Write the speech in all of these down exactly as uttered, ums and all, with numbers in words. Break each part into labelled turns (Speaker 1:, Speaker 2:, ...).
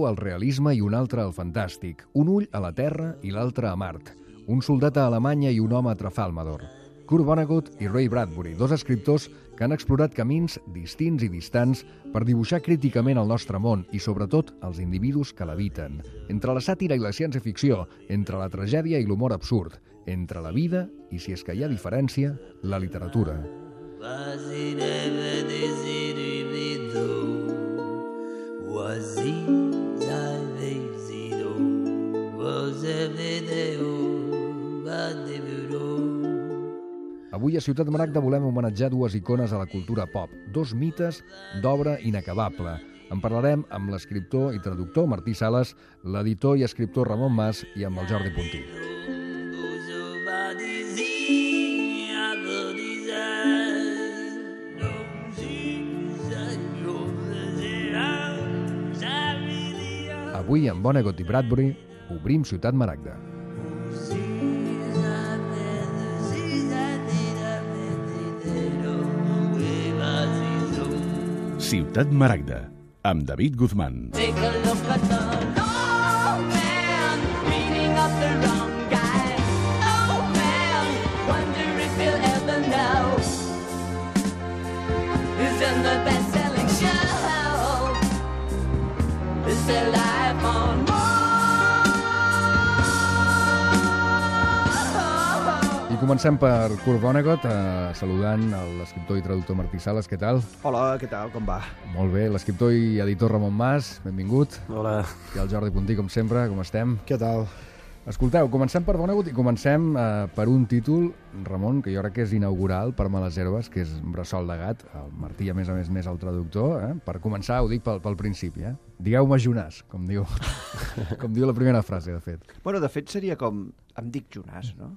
Speaker 1: creu al realisme i un altre al fantàstic, un ull a la Terra i l'altre a Mart, un soldat a Alemanya i un home a Trafalmador. Kurt Vonnegut i Ray Bradbury, dos escriptors que han explorat camins distints i distants per dibuixar críticament el nostre món i, sobretot, els individus que l'habiten. Entre la sàtira i la ciència-ficció, entre la tragèdia i l'humor absurd, entre la vida i, si és que hi ha diferència, la literatura. Avui a Ciutat Maragda volem homenatjar dues icones a la cultura pop, dos mites d'obra inacabable. En parlarem amb l'escriptor i traductor Martí Sales, l'editor i escriptor Ramon Mas i amb el Jordi Puntí. Avui, amb Vonnegut i Bradbury, obrim Ciutat Maragda.
Speaker 2: Ciutat Maragda, amb David Guzmán.
Speaker 3: Take a look at the old man beating up the wrong guy. Old man, wonder if he'll ever know. He's in the best-selling show. It's their life on Mars.
Speaker 1: I comencem per Kurt Vonnegut, eh, saludant l'escriptor i traductor Martí Sales. Què tal?
Speaker 4: Hola, què tal? Com va?
Speaker 1: Molt bé. L'escriptor i editor Ramon Mas, benvingut.
Speaker 4: Hola.
Speaker 1: I el Jordi Puntí, com sempre, com estem?
Speaker 4: Què tal?
Speaker 1: Escolteu, comencem per Vonnegut i comencem eh, per un títol, Ramon, que jo crec que és inaugural per Males Herbes, que és Bressol de gat. El Martí, a més a més, més el traductor. Eh? Per començar, ho dic pel, pel principi. Eh? Digueu-me Jonàs, com diu, com diu la primera frase, de fet.
Speaker 4: Bueno, de fet seria com... Em dic Jonàs, no?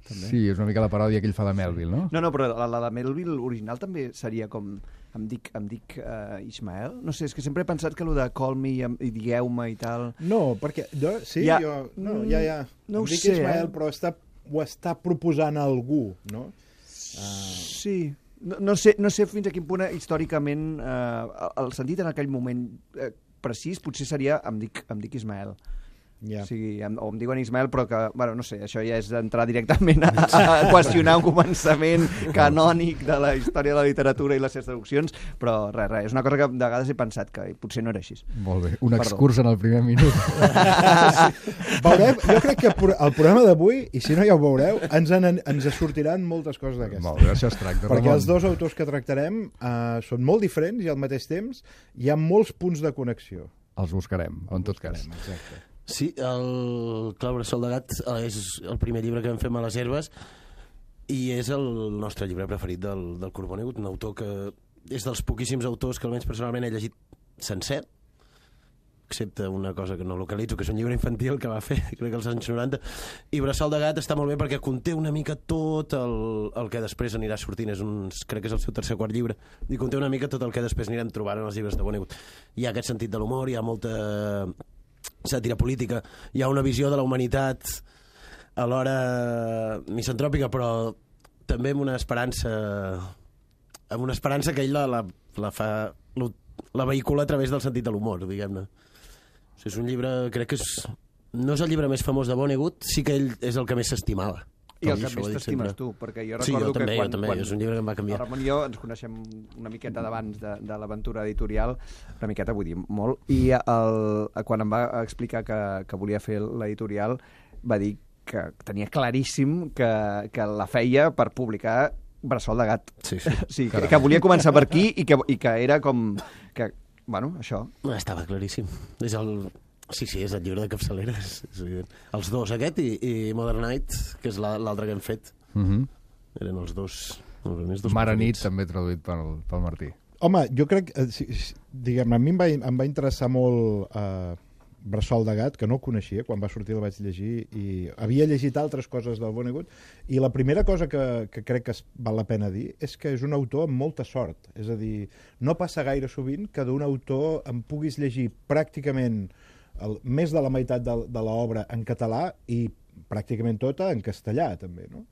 Speaker 1: També. Sí, és una mica la paròdia que ell fa de Melville, no?
Speaker 4: No, no, però la, la de Melville original també seria com... Em dic, em dic uh, Ismael? No sé, és que sempre he pensat que allò de call me i, i digueu-me i tal...
Speaker 5: No, perquè... Jo, sí,
Speaker 4: ja,
Speaker 5: jo... No, ja, ja.
Speaker 4: No
Speaker 5: em
Speaker 4: ho
Speaker 5: dic
Speaker 4: sé,
Speaker 5: Ismael,
Speaker 4: eh?
Speaker 5: però està, ho està proposant a algú, no?
Speaker 4: Uh... Sí. No, no, sé, no sé fins a quin punt històricament uh, el sentit en aquell moment uh, precís potser seria em dic, em dic Ismael.
Speaker 5: Yeah.
Speaker 4: O sigui, em, o em diuen Ismael, però que, bueno, no sé, això ja és entrar directament a, a qüestionar un començament canònic de la història de la literatura i les seves traduccions, però res, res, és una cosa que de vegades he pensat que potser no era així.
Speaker 1: Molt bé, un
Speaker 4: Perdó.
Speaker 1: excurs en el primer minut.
Speaker 5: Sí. Veurem, jo crec que el programa d'avui, i si no ja ho veureu, ens, en, ens sortiran moltes coses d'aquestes.
Speaker 1: Molt bé, això es tracta,
Speaker 5: Perquè
Speaker 1: Ramon.
Speaker 5: els dos autors que tractarem uh, són molt diferents i al mateix temps hi ha molts punts de connexió.
Speaker 1: Els buscarem, en tot cas.
Speaker 5: Exacte.
Speaker 6: Sí, el Clau Bressol de gat és el primer llibre que vam fer a les Herbes i és el nostre llibre preferit del, del Kurt Vonnegut, un autor que és dels poquíssims autors que almenys personalment he llegit sencer, excepte una cosa que no localitzo, que és un llibre infantil que va fer, crec que als anys noranta, i Bressol de gat està molt bé perquè conté una mica tot el, el que després anirà sortint, és un, crec que és el seu tercer o quart llibre, i conté una mica tot el que després anirem trobant en els llibres de Vonnegut. Hi ha aquest sentit de l'humor, hi ha molta sàtira política, hi ha una visió de la humanitat alhora misantròpica, però també amb una esperança amb una esperança que ell la, la, la fa la vehicula a través del sentit de l'humor, diguem-ne. O sigui, és un llibre, crec que és, no és el llibre més famós de Vonnegut, sí que ell és el que més s'estimava.
Speaker 4: I el que més t'estimes tu, perquè jo recordo
Speaker 6: sí, jo
Speaker 4: que
Speaker 6: també,
Speaker 4: quan,
Speaker 6: jo també,
Speaker 4: quan
Speaker 6: és un llibre que em va canviar.
Speaker 4: El Ramon i jo ens coneixem una miqueta d'abans de, de l'aventura editorial, una miqueta vull dir molt, i el, quan em va explicar que, que volia fer l'editorial va dir que tenia claríssim que, que la feia per publicar Bressol de gat.
Speaker 6: Sí, sí.
Speaker 4: sí que, que volia començar per aquí i que, i que era com... Que, bueno, això...
Speaker 6: Estava claríssim. És el... Sí, sí, és el llibre de capçalera. És, és evident. Els dos, aquest i, i Modern Night, que és l'altre que hem fet.
Speaker 1: Uh -huh.
Speaker 6: Eren els dos... Els dos
Speaker 1: Mare nit, també traduït pel, pel Martí.
Speaker 5: Home, jo crec... Eh, si, diguem, a mi em va, em va interessar molt eh, Bressol de gat, que no el coneixia, quan va sortir el vaig llegir, i havia llegit altres coses del Vonnegut, i la primera cosa que, que crec que es, val la pena dir és que és un autor amb molta sort. És a dir, no passa gaire sovint que d'un autor em puguis llegir pràcticament el, més de la meitat de, de l'obra en català i pràcticament tota en castellà, també, no?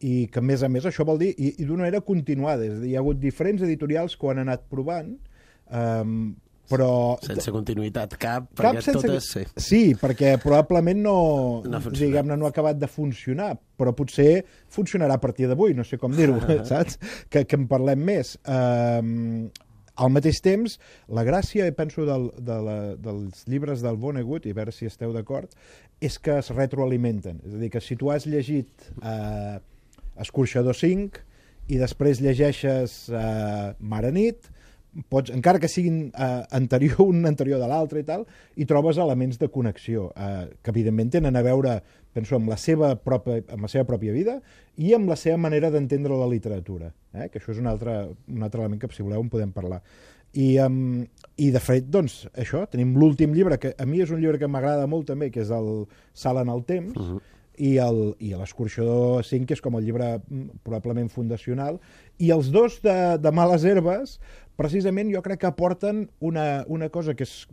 Speaker 5: I que, a més a més, això vol dir, i, i d'una manera continuada, és a dir, hi ha hagut diferents editorials que ho han anat provant, um, però...
Speaker 6: Sense continuïtat cap,
Speaker 5: Cap
Speaker 6: perquè
Speaker 5: sense...
Speaker 6: totes... Sí.
Speaker 5: sí, perquè probablement no,
Speaker 6: No ha funcionat.
Speaker 5: diguem-ne, no ha acabat de funcionar, però potser funcionarà a partir d'avui, no sé com dir-ho, saps? Que, que en parlem més. Um, al mateix temps, la gràcia, penso, del, de la, dels llibres del Vonnegut, i a veure si esteu d'acord, és que es retroalimenten. És a dir, que si tu has llegit uh, Escorxador cinc i després llegeixes uh, Mare Nit, pots, encara que siguin uh, anterior, un anterior de l'altre i tal, i trobes elements de connexió, uh, que evidentment tenen a veure, penso, amb la seva pròpia, amb la seva pròpia vida i amb la seva manera d'entendre la literatura, eh? Que això és un altre, un altre element que, si voleu, en podem parlar. I, um, i de fet, doncs, això, tenim l'últim llibre, que a mi és un llibre que m'agrada molt també, que és el Salt en el temps, uh -huh. i el, i l'Escorxador cinc, que és com el llibre probablement fundacional, i els dos de, de Males Herbes, precisament jo crec que aporten una, una cosa que és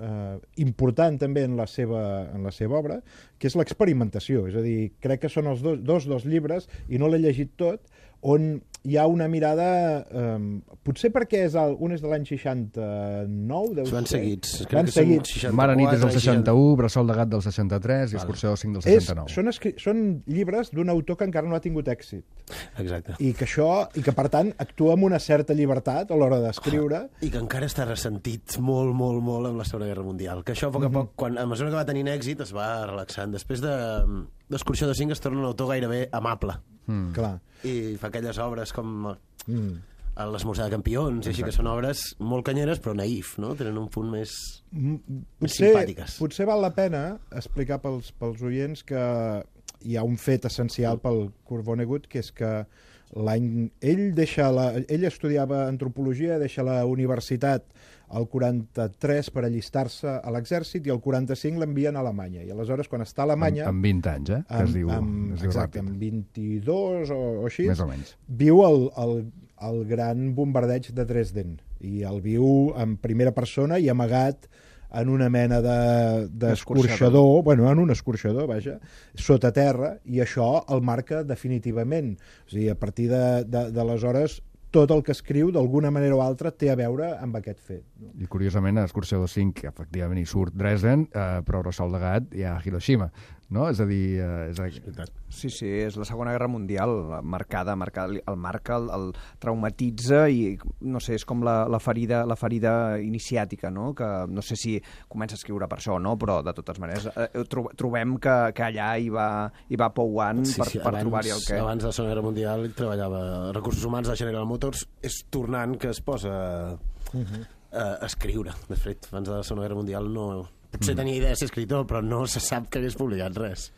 Speaker 5: eh, important també en la, seva, en la seva obra, que és l'experimentació. És a dir, crec que són els dos, dos dels llibres, i no l'he llegit tot, on hi ha una mirada... Eh, potser perquè és el, un és de l'any seixanta-nou, deu
Speaker 6: Van
Speaker 5: ser.
Speaker 6: seguits. Crec
Speaker 5: Van
Speaker 6: que són
Speaker 5: seguits.
Speaker 6: seixanta-quatre,
Speaker 1: Mare Nit és del seixanta-u,
Speaker 6: seixanta...
Speaker 1: Bressol de Gat del seixanta-tres i
Speaker 6: Vale.
Speaker 1: Escorxador cinc del
Speaker 5: És,
Speaker 1: seixanta-nou.
Speaker 5: són, escri són llibres d'un autor que encara no ha tingut èxit.
Speaker 6: Exacte.
Speaker 5: I que això, i que per tant actua amb una certa llibertat a l'hora d'escriure.
Speaker 6: I que encara està ressentit molt, molt, molt amb la Segona Guerra Mundial. Que això, a poc a poc, quan, a mesura que va tenint èxit, es va relaxant. Després de d'Escorxador cinc es torna un autor gairebé amable.
Speaker 1: Mm.
Speaker 5: Clar.
Speaker 6: I fa aquelles obres com
Speaker 5: Mm.
Speaker 6: l'Esmorzar de campions, i així, que són obres molt canyeres, però naïf, no? Tenen un punt més,
Speaker 5: Mm,
Speaker 6: més
Speaker 5: Potser,
Speaker 6: simpàtiques.
Speaker 5: potser val la pena explicar pels, pels oients que hi ha un fet essencial pel Kurt Vonnegut, que és que l'any... Ell, deixa la, ell estudiava antropologia, deixa la universitat al quaranta-tres per allistar-se a l'exèrcit, i al quaranta-cinc l'envien a Alemanya. I aleshores, quan està a Alemanya...
Speaker 1: Amb, amb vint anys, eh? Que es diu,
Speaker 5: amb,
Speaker 1: es diu
Speaker 5: exacte,
Speaker 1: ràpid.
Speaker 5: amb vint-i-dos o, o així,
Speaker 1: Més o menys.
Speaker 5: viu el, el, el gran bombardeig de Dresden, i el viu en primera persona i amagat en una mena de- d'escorxador, bueno, en un escorxador, vaja, sota terra, i això el marca definitivament. O sigui, a partir de- de- d'aleshores, tot el que escriu, d'alguna manera o altra, té a veure amb aquest fet. No?
Speaker 1: I curiosament, a Escorxador cinc, efectivament, hi surt Dresden, eh, però a Bressol de Gat hi ha Hiroshima, no? És a dir... Eh, és a...
Speaker 4: Sí, sí, és la Segona Guerra Mundial, marcada, marcada el marca, el, el traumatitza, i no sé, és com la, la, ferida, la ferida iniciàtica, no? Que no sé si comença a escriure per això, no? Però de totes maneres eh, tro trobem que, que allà hi va, hi va pouant
Speaker 6: Sí,
Speaker 4: per,
Speaker 6: sí,
Speaker 4: per
Speaker 6: abans,
Speaker 4: trobar-hi el què.
Speaker 6: Abans de la Segona Guerra Mundial ell treballava a Recursos Humans de General Motors, és tornant que es posa uh -huh. a escriure. De fet, abans de la Segona Guerra Mundial no... Potser tenia idea de ser escritor, però no se sap que hagués publicat res.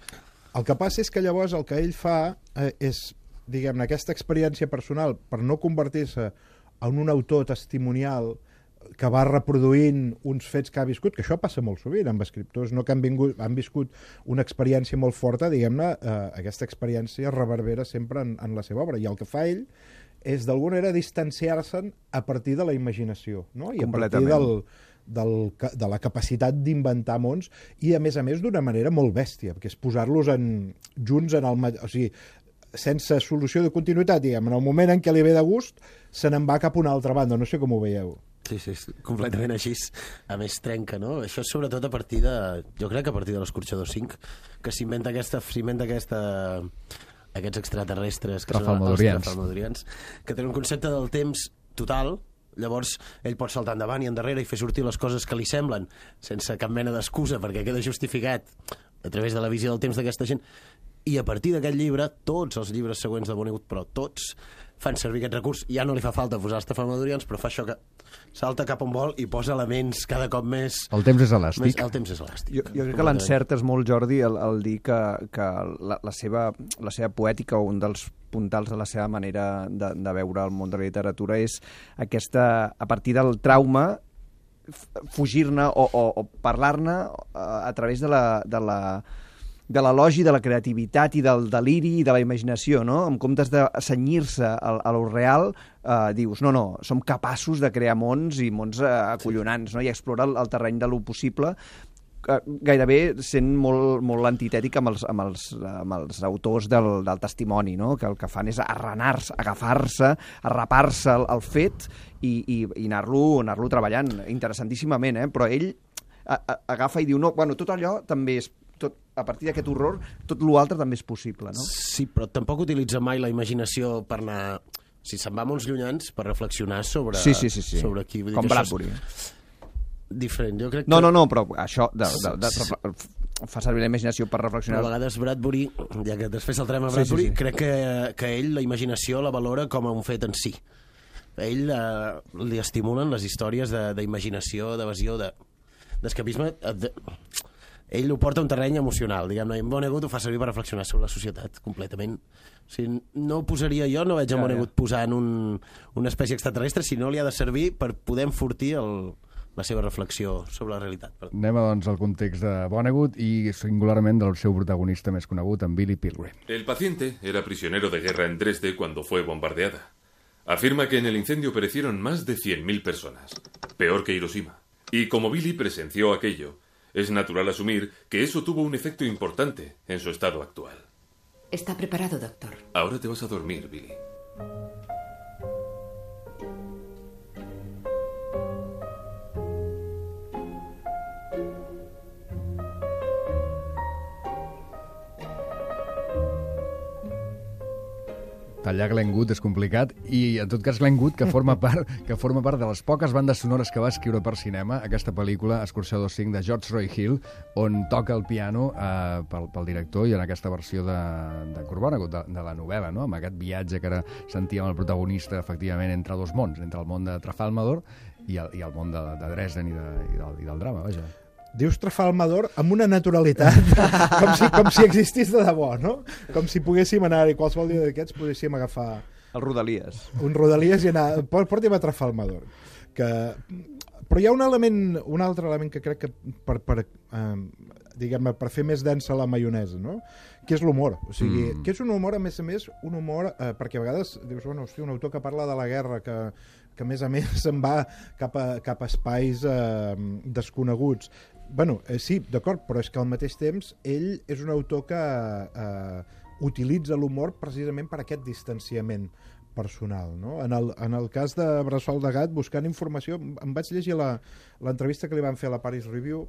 Speaker 5: El que passa és que llavors el que ell fa eh, és, diguem-ne, aquesta experiència personal, per no convertir-se en un autor testimonial que va reproduint uns fets que ha viscut, que això passa molt sovint amb escriptors, no que han, vingut, han viscut una experiència molt forta, diguem-ne, eh, aquesta experiència reverbera sempre en, en la seva obra, i el que fa ell és d'alguna manera distanciar-se'n a partir de la imaginació, no? I a partir del, del, de la capacitat d'inventar mons, i a més a més d'una manera molt bèstia, perquè és posar-los en, junts en el... O sigui, sense solució de continuïtat, diguem, en el moment en què li ve de gust, se n'en va cap a una altra banda, no sé com ho veieu.
Speaker 6: Sí, sí, és completament així. A més, trenca, no? Això és sobretot a partir de... Jo crec que a partir de l'Escorxador cinc, que s'inventa aquesta... s'inventa aquesta aquests extraterrestres que són els
Speaker 1: Trafalmadorians.
Speaker 6: trafalmadorians, que tenen un concepte del temps total. Llavors ell pot saltar endavant i endarrere i fer sortir les coses que li semblen sense cap mena d'excusa, perquè queda justificat a través de la visió del temps d'aquesta gent. I a partir d'aquest llibre, tots els llibres següents de Vonnegut, però tots, fan servir aquest recurs. Ja no li fa falta posar els trafalmadorians, però fa això que salta cap on vol i posa elements cada cop més...
Speaker 1: El temps és elàstic.
Speaker 6: Més, el temps és elàstic.
Speaker 4: Jo, jo crec que l'encertes molt, Jordi, el, el dir que, que la, la, seva, la seva poètica, o un dels puntals de la seva manera de, de veure el món de la literatura, és aquesta, a partir del trauma, fugir-ne o, o, o parlar-ne a, a través de la... De la de l'elogi, de la creativitat i del deliri i de la imaginació, no? En comptes de cenyir-se a, a lo real, eh, dius, no, no, som capaços de crear mons i mons eh, acollonants, no? I explorar el, el terreny de lo possible, gairebé sent molt, molt antitètic amb els, amb els, amb els autors del, del testimoni, no? Que el que fan és arranar-se, agafar-se, arrapar-se el, el fet i, i, i anar-lo anar-lo treballant interessantíssimament, eh? Però ell a, a, agafa i diu, no, bueno, tot allò també és, tot, a partir d'aquest horror, tot l'altre també és possible, no?
Speaker 6: Sí, però tampoc utilitza mai la imaginació per anar... Si se'n va a uns llunyans, per reflexionar sobre,
Speaker 4: sí, sí, sí, sí.
Speaker 6: sobre qui... Vull dir
Speaker 4: com
Speaker 6: que
Speaker 4: Bradbury.
Speaker 6: És diferent, jo crec que...
Speaker 4: No, no, no, però això de, de, de, de, fa servir la imaginació per reflexionar.
Speaker 6: Però a vegades Bradbury, ja que després saltarem a Bradbury, sí, sí, sí. crec que, que ell la imaginació la valora com a un fet en si. A ell eh, li estimulen les històries d'imaginació, de, d'evasió, de, d'escapisme... De, ell ho porta a un terreny emocional, diguem-ne, i en Vonnegut ho fa servir per reflexionar sobre la societat completament. O sigui, no ho posaria jo, no veig en Vonnegut posant un, una espècie extraterrestre, sinó li ha de servir per poder enfortir el, la seva reflexió sobre la realitat.
Speaker 1: Anem, doncs, al context de Vonnegut i singularment del seu protagonista més conegut, en Billy Pilgrim.
Speaker 7: El paciente era prisionero de guerra en Dresde cuando fue bombardeada. Afirma que en el incendio perecieron más de cien mil personas, peor que Hiroshima. Y como Billy presenció aquello, es natural asumir que eso tuvo un efecto importante en su estado actual.
Speaker 8: Está preparado, doctor.
Speaker 7: Ahora te vas a dormir, Billy.
Speaker 1: Tallar Glenn Gould és complicat i, en tot cas, Glenn Gould, que forma part, que forma part de les poques bandes sonores que va escriure per cinema, aquesta pel·lícula, Excursió dos cinc, de George Roy Hill, on toca el piano eh, pel, pel director i en aquesta versió de, de Kurt Vonnegut, de, de la novel·la, no? Amb aquest viatge que ara sentíem el protagonista, efectivament, entre dos mons, entre el món de Trafalmador i el, i el món de, de Dresden i, de, i, del, i del drama, vaja.
Speaker 5: Dius Trafalmador amb una naturalitat com si, com si existís de debò, no? Com si poguéssim anar i qualsevol dia d'aquests poguéssim agafar...
Speaker 4: El Rodalies.
Speaker 5: Un Rodalies i anar... Porti'm a Trafalmador. Que... Però hi ha un element, un altre element que crec que per, per, eh, diguem-ne, per fer més densa la maionesa, no? Que és l'humor. O sigui, mm. que és un humor, a més a més, un humor... Eh, perquè a vegades dius, bueno, hosti, un autor que parla de la guerra, que, que a més a més se'n va cap a, cap a espais eh, desconeguts. Bueno, eh, sí, d'acord, però és que al mateix temps ell és un autor que eh, utilitza l'humor precisament per aquest distanciament personal, no? En el, en el cas de Bressol de Gat, buscant informació, em vaig llegir l'entrevista que li van fer a la Paris Review,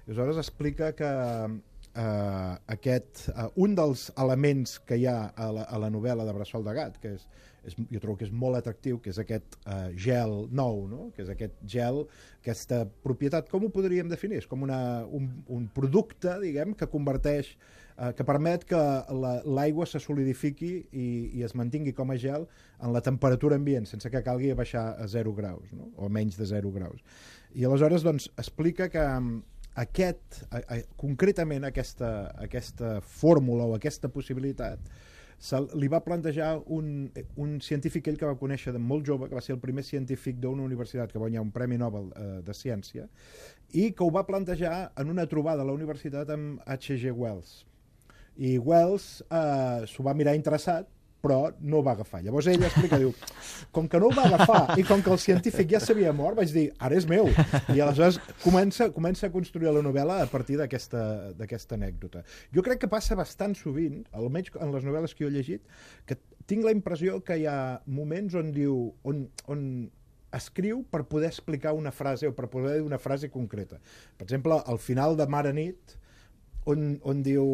Speaker 5: i aleshores explica que eh, aquest, eh, un dels elements que hi ha a la, a la novel·la de Bressol de Gat, que és, és, jo trobo que és molt atractiu, que és aquest eh, gel nou, no? Que és aquest gel, aquesta propietat, com ho podríem definir? És com una, un, un producte, diguem, que converteix, eh, que permet que l'aigua se solidifiqui i, i es mantingui com a gel en la temperatura ambient, sense que calgui baixar a zero graus, no? O menys de zero graus. I aleshores, doncs, explica que aquest, a, a, concretament aquesta, aquesta fórmula o aquesta possibilitat se li va plantejar un, un científic ell que va conèixer de molt jove, que va ser el primer científic d'una universitat que va guanyar un Premi Nobel eh, de Ciència, i que ho va plantejar en una trobada a la universitat amb H G Wells. I Wells eh, s'ho va mirar interessat, però no ho va agafar. Llavors ell explica, diu, com que no ho va agafar i com que el científic ja s'havia mort, vaig dir, ara és meu. I aleshores comença, comença a construir la novel·la a partir d'aquesta anècdota. Jo crec que passa bastant sovint, almenys en les novel·les que jo he llegit, que tinc la impressió que hi ha moments on diu, on, on escriu per poder explicar una frase o per poder dir una frase concreta. Per exemple, al final de Mar a nit, on, on diu...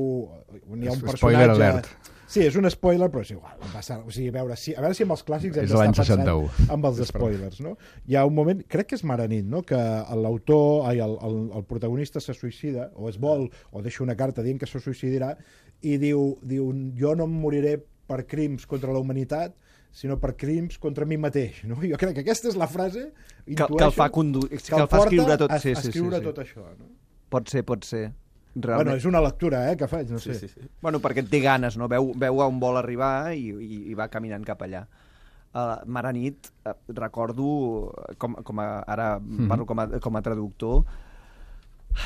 Speaker 5: On hi ha un personatge...
Speaker 1: Spoiler alert.
Speaker 5: Sí, és un spoiler, però és igual. Passa, o sigui, a, veure si, a veure si amb els clàssics hem
Speaker 1: és
Speaker 5: d'estar
Speaker 1: l'any
Speaker 5: pensant
Speaker 1: seixanta-u.
Speaker 5: amb els spoilers, no? Hi ha un moment, crec que és Mar a nit, no? Que l'autor, ai, el, el, el protagonista se suïcida, o es vol, o deixa una carta dient que se suïcidirà, i diu, diu, jo no em moriré per crims contra la humanitat, sinó per crims contra mi mateix, no? Jo crec que aquesta és la frase,
Speaker 4: que, que el fa, condu... que
Speaker 5: que el
Speaker 4: el fa escriure tot,
Speaker 5: a,
Speaker 4: sí,
Speaker 5: a
Speaker 4: sí,
Speaker 5: escriure
Speaker 4: sí, sí.
Speaker 5: tot això, no?
Speaker 4: Pot ser, pot ser. Realment.
Speaker 5: Bueno, és una lectura, eh, que faig, no sé.
Speaker 6: Sí, sí, sí.
Speaker 4: Bueno, perquè té ganes, no? Veu, veu on vol arribar i, i, i va caminant cap allà. Uh, Mar a nit, uh, recordo, com, com a, ara mm-hmm. parlo com a, com a traductor,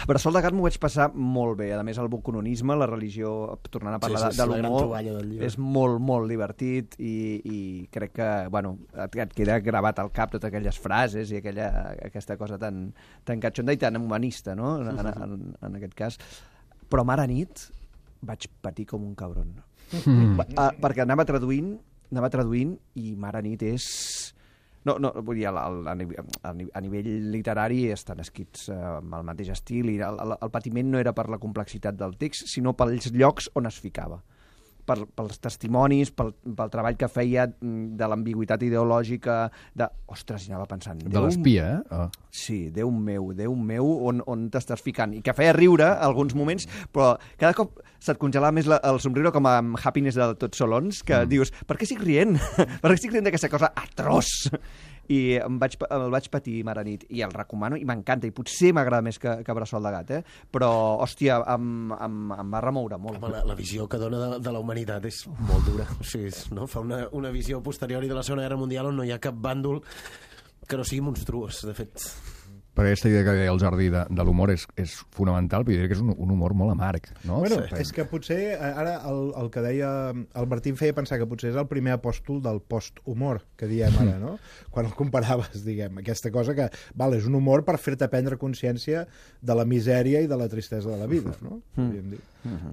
Speaker 4: Bressol de gat m'ho vaig passar molt bé. A més, el bucononisme, la religió, tornant a parlar
Speaker 6: Sí, sí,
Speaker 4: de,
Speaker 6: és
Speaker 4: de
Speaker 6: la gran
Speaker 4: l'humor,
Speaker 6: troballa del llibre.
Speaker 4: és molt, molt divertit i, i crec que, bueno, et, et queda gravat al cap totes aquelles frases i aquella, aquesta cosa tan, tan catxonda i tan humanista, no?, en, en, en, en aquest cas. Però Mare nit vaig patir com un cabron. Mm. Uh, perquè anava traduint, anava traduint i Mare nit és... No, no, vull dir, a, a, a nivell literari estan escrits eh, amb el mateix estil i el, el, el patiment no era per la complexitat del text, sinó pels llocs on es ficava. Per, pels testimonis, pel, pel treball que feia de l'ambigüitat ideològica, de... Ostres, i anava pensant...
Speaker 1: De l'espia, eh? Oh.
Speaker 4: Sí, Déu meu, Déu meu, on, on t'estàs ficant? I que feia riure alguns moments, però cada cop se't congelava més la, el somriure com amb Happiness de Tots Solons, que mm. dius, per què estic rient? Per què estic rient d'aquesta cosa atroç? I em vaig, el vaig patir Mare nit, i el recomano, i m'encanta, i potser m'agrada més que, que Bressol de gat, eh? Però, hòstia, em, em, em va remoure molt.
Speaker 6: Home, la, la visió que dona de, de la humanitat és molt dura. O sigui, no? Fa una, una visió posterior de la Segona Guerra Mundial on no hi ha cap bàndol que no sigui monstruós, de fet.
Speaker 1: Perquè aquesta idea que deia el Jordi de, de l'humor és, és fonamental, però jo diria que és un, un humor molt amarg, no?
Speaker 5: Bueno,
Speaker 1: Sí.
Speaker 5: és que potser, ara el, el que deia el Martí em feia pensar que potser és el primer apòstol del post-humor, que diem ara, no? Quan el comparaves, diguem, aquesta cosa que, val, és un humor per fer-te prendre consciència de la misèria i de la tristesa de la vida, no? Podríem dir.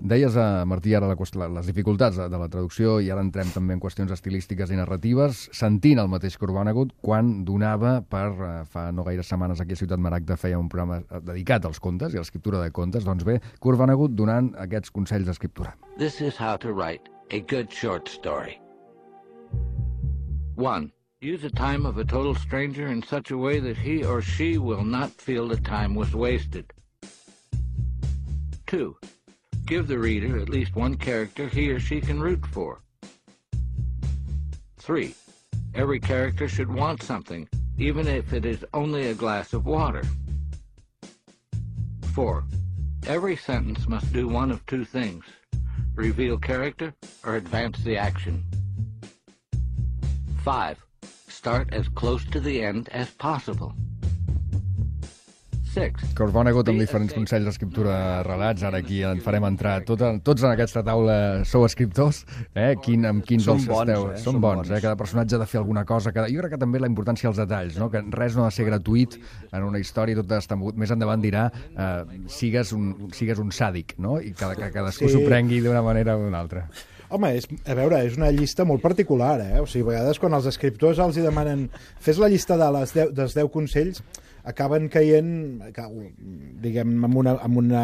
Speaker 1: Deies, a Martí, ara la, qüest- la- les dificultats de, de la traducció, i ara entrem també en qüestions estilístiques i narratives, sentint el mateix que Urbanagut quan donava per, eh, fa no gaires setmanes aquí a Ciutat Maragda feia un programa eh, dedicat als contes i a l'escriptura de contes, doncs bé, Urbanagut donant aquests consells d'escriptura.
Speaker 9: This is how to write a good short story. One, use a time of a total stranger in such a way that he or she will not feel the time was wasted. Two, give the reader at least one character he or she can root for. Three, every character should want something, even if it is only a glass of water. Four, every sentence must do one of two things: reveal character or advance the action. Five, start as close to the end as possible. Six,
Speaker 1: Que Urbanagut amb diferents consells d'escriptura de relats, ara aquí en farem entrar tot, tots en aquesta taula sou escriptors, eh? Quin, amb quins
Speaker 4: Som
Speaker 1: els
Speaker 4: bons,
Speaker 1: esteu?
Speaker 4: eh?
Speaker 1: Són
Speaker 4: Som
Speaker 1: bons,
Speaker 4: bons.
Speaker 1: eh? Cada personatge ha de fer alguna cosa. Cada... Jo crec que també la importància dels detalls, no? Que res no ha de ser gratuït en una història, tot està mogut. Més endavant dirà eh, sigues, un, sigues un sàdic, no? I que, que cadascú
Speaker 5: Sí.
Speaker 1: s'ho prengui d'una manera o d'una altra.
Speaker 5: Home, és, a veure, és una llista molt particular, eh? O sigui, a vegades quan els escriptors els hi demanen fes la llista de les deu, dels deu consells, acaben caient, diguem, amb una, amb una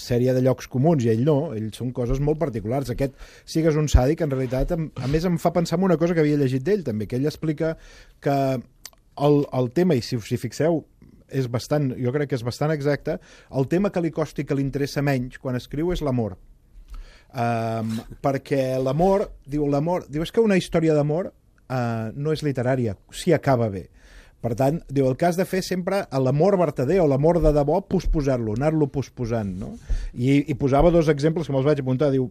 Speaker 5: sèrie de llocs comuns, i ell no, ells són coses molt particulars. Aquest sigues un sàdic, en realitat, a més em fa pensar en una cosa que havia llegit d'ell, també, que ell explica que el, el tema, i si us hi fixeu, és bastant, jo crec que és bastant exacte, el tema que li costi, que li interessa menys quan escriu és l'amor. Um, perquè l'amor, diu l'amor, diu, és que una història d'amor uh, no és literària, si acaba bé. Per tant, diu, el que has de fer sempre a l'amor vertader o l'amor de debò, posposar-lo, anar-lo posposant, no? I, I posava dos exemples que me'ls vaig apuntar. Diu,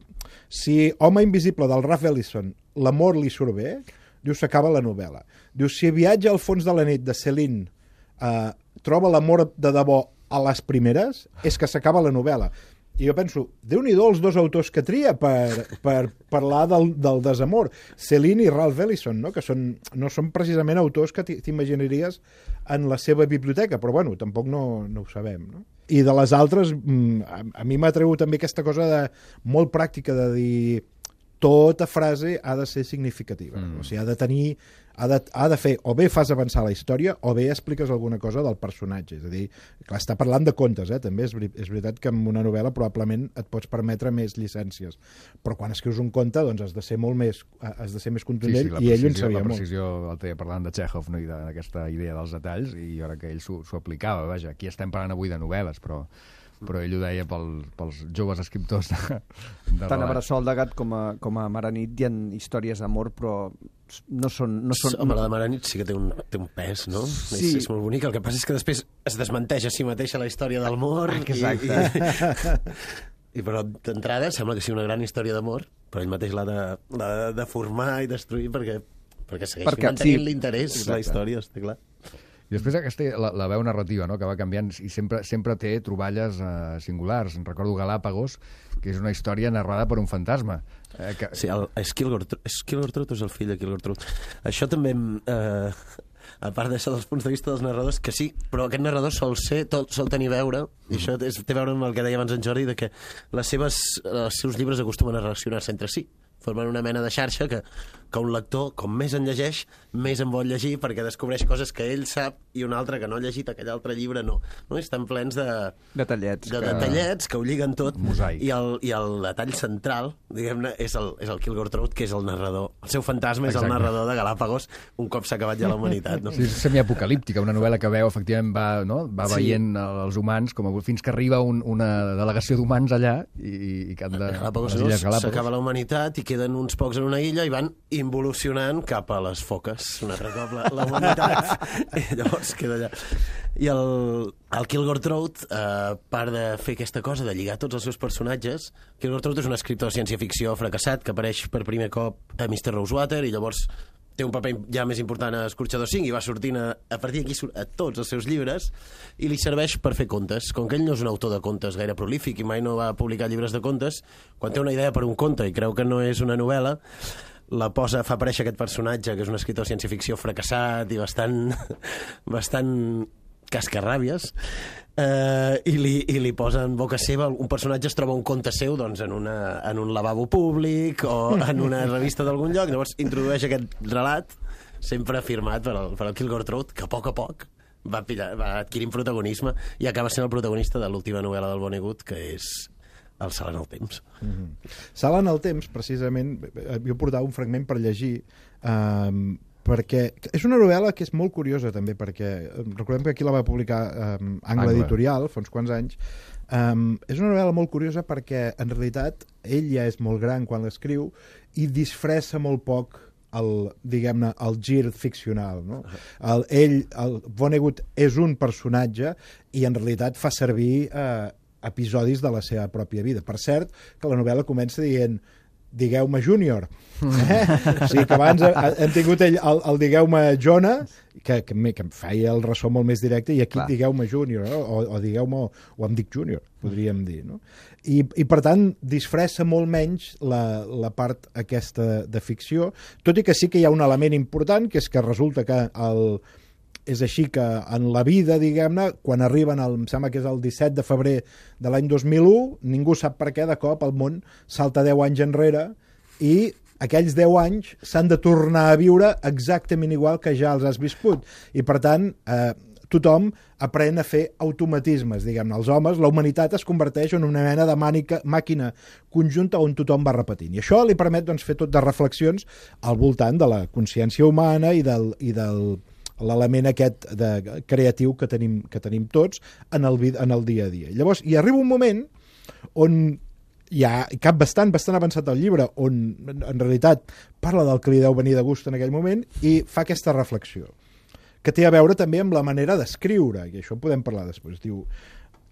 Speaker 5: si Home invisible del Ralph Ellison l'amor li surt bé, diu, s'acaba la novel·la. Diu, si Viatge al fons de la nit de Céline eh, troba l'amor de debò a les primeres, és que s'acaba la novel·la. I jo penso, Déu-n'hi-do els dos autors que tria per, per parlar del, del desamor, Céline i Ralph Ellison, no? Que són, no són precisament autors que t'imaginaries en la seva biblioteca, però bueno, tampoc no, no ho sabem, no? I de les altres, a, a mi m'ha atregut també aquesta cosa de, molt pràctica de dir tota frase ha de ser significativa, mm. O sigui, ha de tenir, ha de, ha de fer, o bé fas avançar la història, o bé expliques alguna cosa del personatge, és a dir, clar, està parlant de contes, eh? També és, és veritat que en una novel·la probablement et pots permetre més llicències, però quan escrius un conte, doncs has de ser molt més, has de ser més contundent,
Speaker 1: sí, sí,
Speaker 5: i ell ho en
Speaker 1: precisió,
Speaker 5: sabia
Speaker 1: la
Speaker 5: molt.
Speaker 1: precisió, el deia parlant de Chekhov, no? I d'aquesta idea dels detalls, i jo crec que ell s'ho s'ho aplicava, vaja, aquí estem parlant avui de novel·les, però però ell ho deia pel, pels joves escriptors de, de
Speaker 4: Tant a
Speaker 1: relat.
Speaker 4: Bressol de gat com a, com a Mare nit hi ha històries d'amor, però no són... No són
Speaker 6: Home, la de Mare nit sí que té un, té un pes, no?
Speaker 4: Sí.
Speaker 6: És, és molt bonic. El que passa és que després es desmenteix a si mateixa la història d'amor.
Speaker 4: Exacte.
Speaker 6: I, i, I però d'entrada sembla que sigui una gran història d'amor, però ell mateix l'ha de, l'ha de formar i destruir perquè, perquè segueix
Speaker 4: Perquè-
Speaker 6: mantenint
Speaker 4: sí.
Speaker 6: l'interès, la
Speaker 4: Exacte.
Speaker 6: història, està clar.
Speaker 1: I després aquesta, la, la veu narrativa, no?, que va canviant i sempre, sempre té troballes uh, singulars. Recordo Galàpagos, que és una història narrada per un fantasma. Eh, que...
Speaker 6: Sí, el, és Kilgore, és Kilgore Trout o és el fill de Kilgore Trout? Això també... Eh, a part d'això dels punts de vista dels narradors, que sí, però aquest narrador sol ser, tot, sol tenir veure, i això és, té a veure amb el que deia abans en Jordi, de que les seves, els seus llibres acostumen a relacionar-se entre si, formen una mena de xarxa que, que un lector, com més en llegeix, més en vol llegir, perquè descobreix coses que ell sap i un altre que no ha llegit aquell altre llibre no. no? Estan plens de...
Speaker 4: Detallets.
Speaker 6: De
Speaker 4: que...
Speaker 6: detallets que ho lliguen tot.
Speaker 1: Mosaic.
Speaker 6: I el, I el detall central, diguem-ne, és el, és el Kilgore Trout, que és el narrador. El seu fantasma és
Speaker 1: Exacte.
Speaker 6: el narrador de Galàpagos, un cop s'ha acabat ja la humanitat. No?
Speaker 1: Sí, és semiapocalíptica, una novel·la que veu, efectivament, va, no? va
Speaker 6: Sí.
Speaker 1: veient els humans com a, fins que arriba un, una delegació d'humans allà i, i que han de...
Speaker 6: Galàpagos,
Speaker 1: les Illes
Speaker 6: no?
Speaker 1: Galàpagos.
Speaker 6: S'acaba la humanitat i queden uns pocs en una illa i van involucionant cap a les foques, un altre cop la, la humanitat, i llavors queda allà. I el, el Kilgore Trout, eh, a part de fer aquesta cosa de lligar tots els seus personatges, Kilgore Trout és un escriptor de ciència-ficció fracassat que apareix per primer cop a mister Rosewater i llavors té un paper ja més important a Escorxador cinc i va sortint a, a partir d'aquí a tots els seus llibres i li serveix per fer contes. Com que ell no és un autor de contes gaire prolífic i mai no va publicar llibres de contes, quan té una idea per un conte i creu que no és una novel·la, la posa, fa aparèixer aquest personatge que és un escriptor de ciència-ficció fracassat i bastant bastant cascarràbies, eh, i, li, i li posa en boca seva, un personatge es troba un conte seu doncs, en, una, en un lavabo públic o en una revista d'algun lloc, llavors introdueix aquest relat sempre firmat per el, per el Kilgore Trout, que a poc a poc va, pillar, va adquirint protagonisme i acaba sent el protagonista de l'última novel·la del Vonnegut, que és El salt en el temps.
Speaker 5: Mm-hmm. Salt en el temps, precisament, jo portava un fragment per llegir, eh, perquè és una novel·la que és molt curiosa també, perquè recordem que aquí la va publicar um, Angle Editorial fa uns quants anys. Um, és una novel·la molt curiosa perquè en realitat ell ja és molt gran quan l'escriu i disfressa molt poc el, diguem-ne, el gir ficcional, no? El, ell, el Vonnegut és un personatge i en realitat fa servir eh, episodis de la seva pròpia vida. Per cert, que la novel·la comença dient digueu-me Júnior. Eh? O sigui que abans hem tingut ell, el, el digueu-me Jona, que, que, que em feia el ressò molt més directe, i aquí digueu-me Júnior, no? o, o digueu-me, o em dic Júnior, podríem dir. No? I, I per tant, disfressa molt menys la, la part aquesta de ficció, tot i que sí que hi ha un element important, que és que resulta que el... És així que en la vida, diguem-ne, quan arriben, el, em sembla que és el disset de febrer de l'any dos mil u, ningú sap per què, de cop el món salta deu anys enrere i aquells deu anys s'han de tornar a viure exactament igual que ja els has viscut. I, per tant, eh, tothom aprèn a fer automatismes, diguem-ne. Els homes, la humanitat es converteix en una mena de mànica, màquina conjunta on tothom va repetint. I això li permet doncs, fer tot de reflexions al voltant de la consciència humana i del... I del l'element aquest de creatiu que tenim, que tenim tots en el, en el dia a dia. Llavors, hi arriba un moment on hi ha cap bastant, bastant avançat el llibre, on en realitat parla del que li deu venir de gust en aquell moment i fa aquesta reflexió, que té a veure també amb la manera d'escriure, i això podem parlar després. Diu,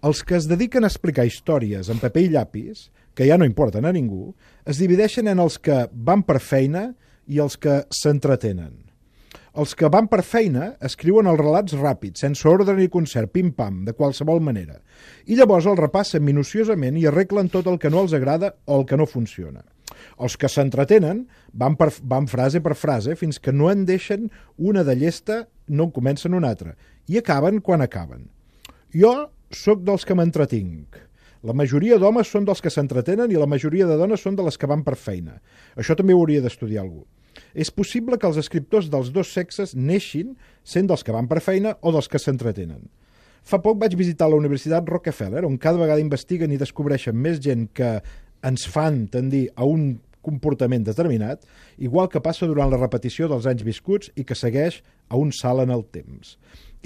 Speaker 5: els que es dediquen a explicar històries en paper i llapis, que ja no importen a ningú, es divideixen en els que van per feina i els que s'entretenen. Els que van per feina escriuen els relats ràpids, sense ordre ni concert, pim-pam, de qualsevol manera. I llavors els repassen minuciosament i arreglen tot el que no els agrada o el que no funciona. Els que s'entretenen van, per, van frase per frase fins que no en deixen una de llesta, no en comencen una altra. I acaben quan acaben. Jo sóc dels que m'entretinc. La majoria d'homes són dels que s'entretenen i la majoria de dones són de les que van per feina. Això també ho hauria d'estudiar algú. És possible que els escriptors dels dos sexes neixin sent dels que van per feina o dels que s'entretenen. Fa poc vaig visitar la Universitat Rockefeller, on cada vegada investiguen i descobreixen més gent que ens fan tendir a un comportament determinat, igual que passa durant la repetició dels anys viscuts i que segueix a un salt en el temps.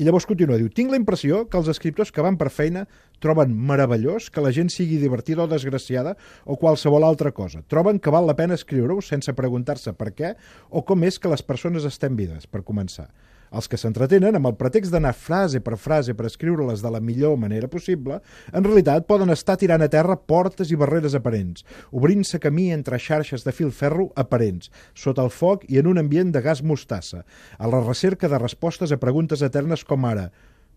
Speaker 5: I llavors continua, diu, tinc la impressió que els escriptors que van per feina troben meravellós que la gent sigui divertida o desgraciada o qualsevol altra cosa. Troben que val la pena escriure-ho sense preguntar-se per què o com és que les persones estem vives, per començar. Els que s'entretenen, amb el pretext d'anar frase per frase per escriure-les de la millor manera possible, en realitat poden estar tirant a terra portes i barreres aparents, obrint-se camí entre xarxes de filferro aparents, sota el foc i en un ambient de gas mostassa, a la recerca de respostes a preguntes eternes com ara: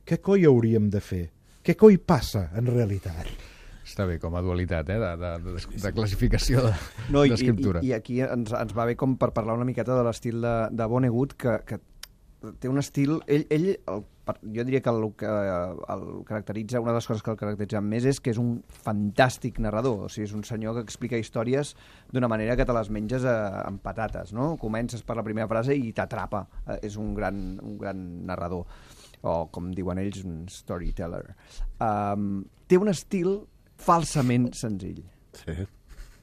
Speaker 5: què coi hauríem de fer? Què coi passa en realitat?
Speaker 1: Està bé, com a dualitat, eh, de, de, de, de classificació de,
Speaker 4: no, i,
Speaker 1: d'escriptura.
Speaker 4: I, I aquí ens, ens va bé com per parlar una miqueta de l'estil de, de Vonnegut, que, que té un estil... Ell, ell el, jo diria que el que el caracteritza, una de les coses que el caracteritza més és que és un fantàstic narrador. O sigui, és un senyor que explica històries d'una manera que te les menges a, amb patates, no? Comences per la primera frase i t'atrapa. Eh, és un gran, un gran narrador, o com diuen ells, un storyteller. Um, té un estil falsament senzill,
Speaker 6: sí,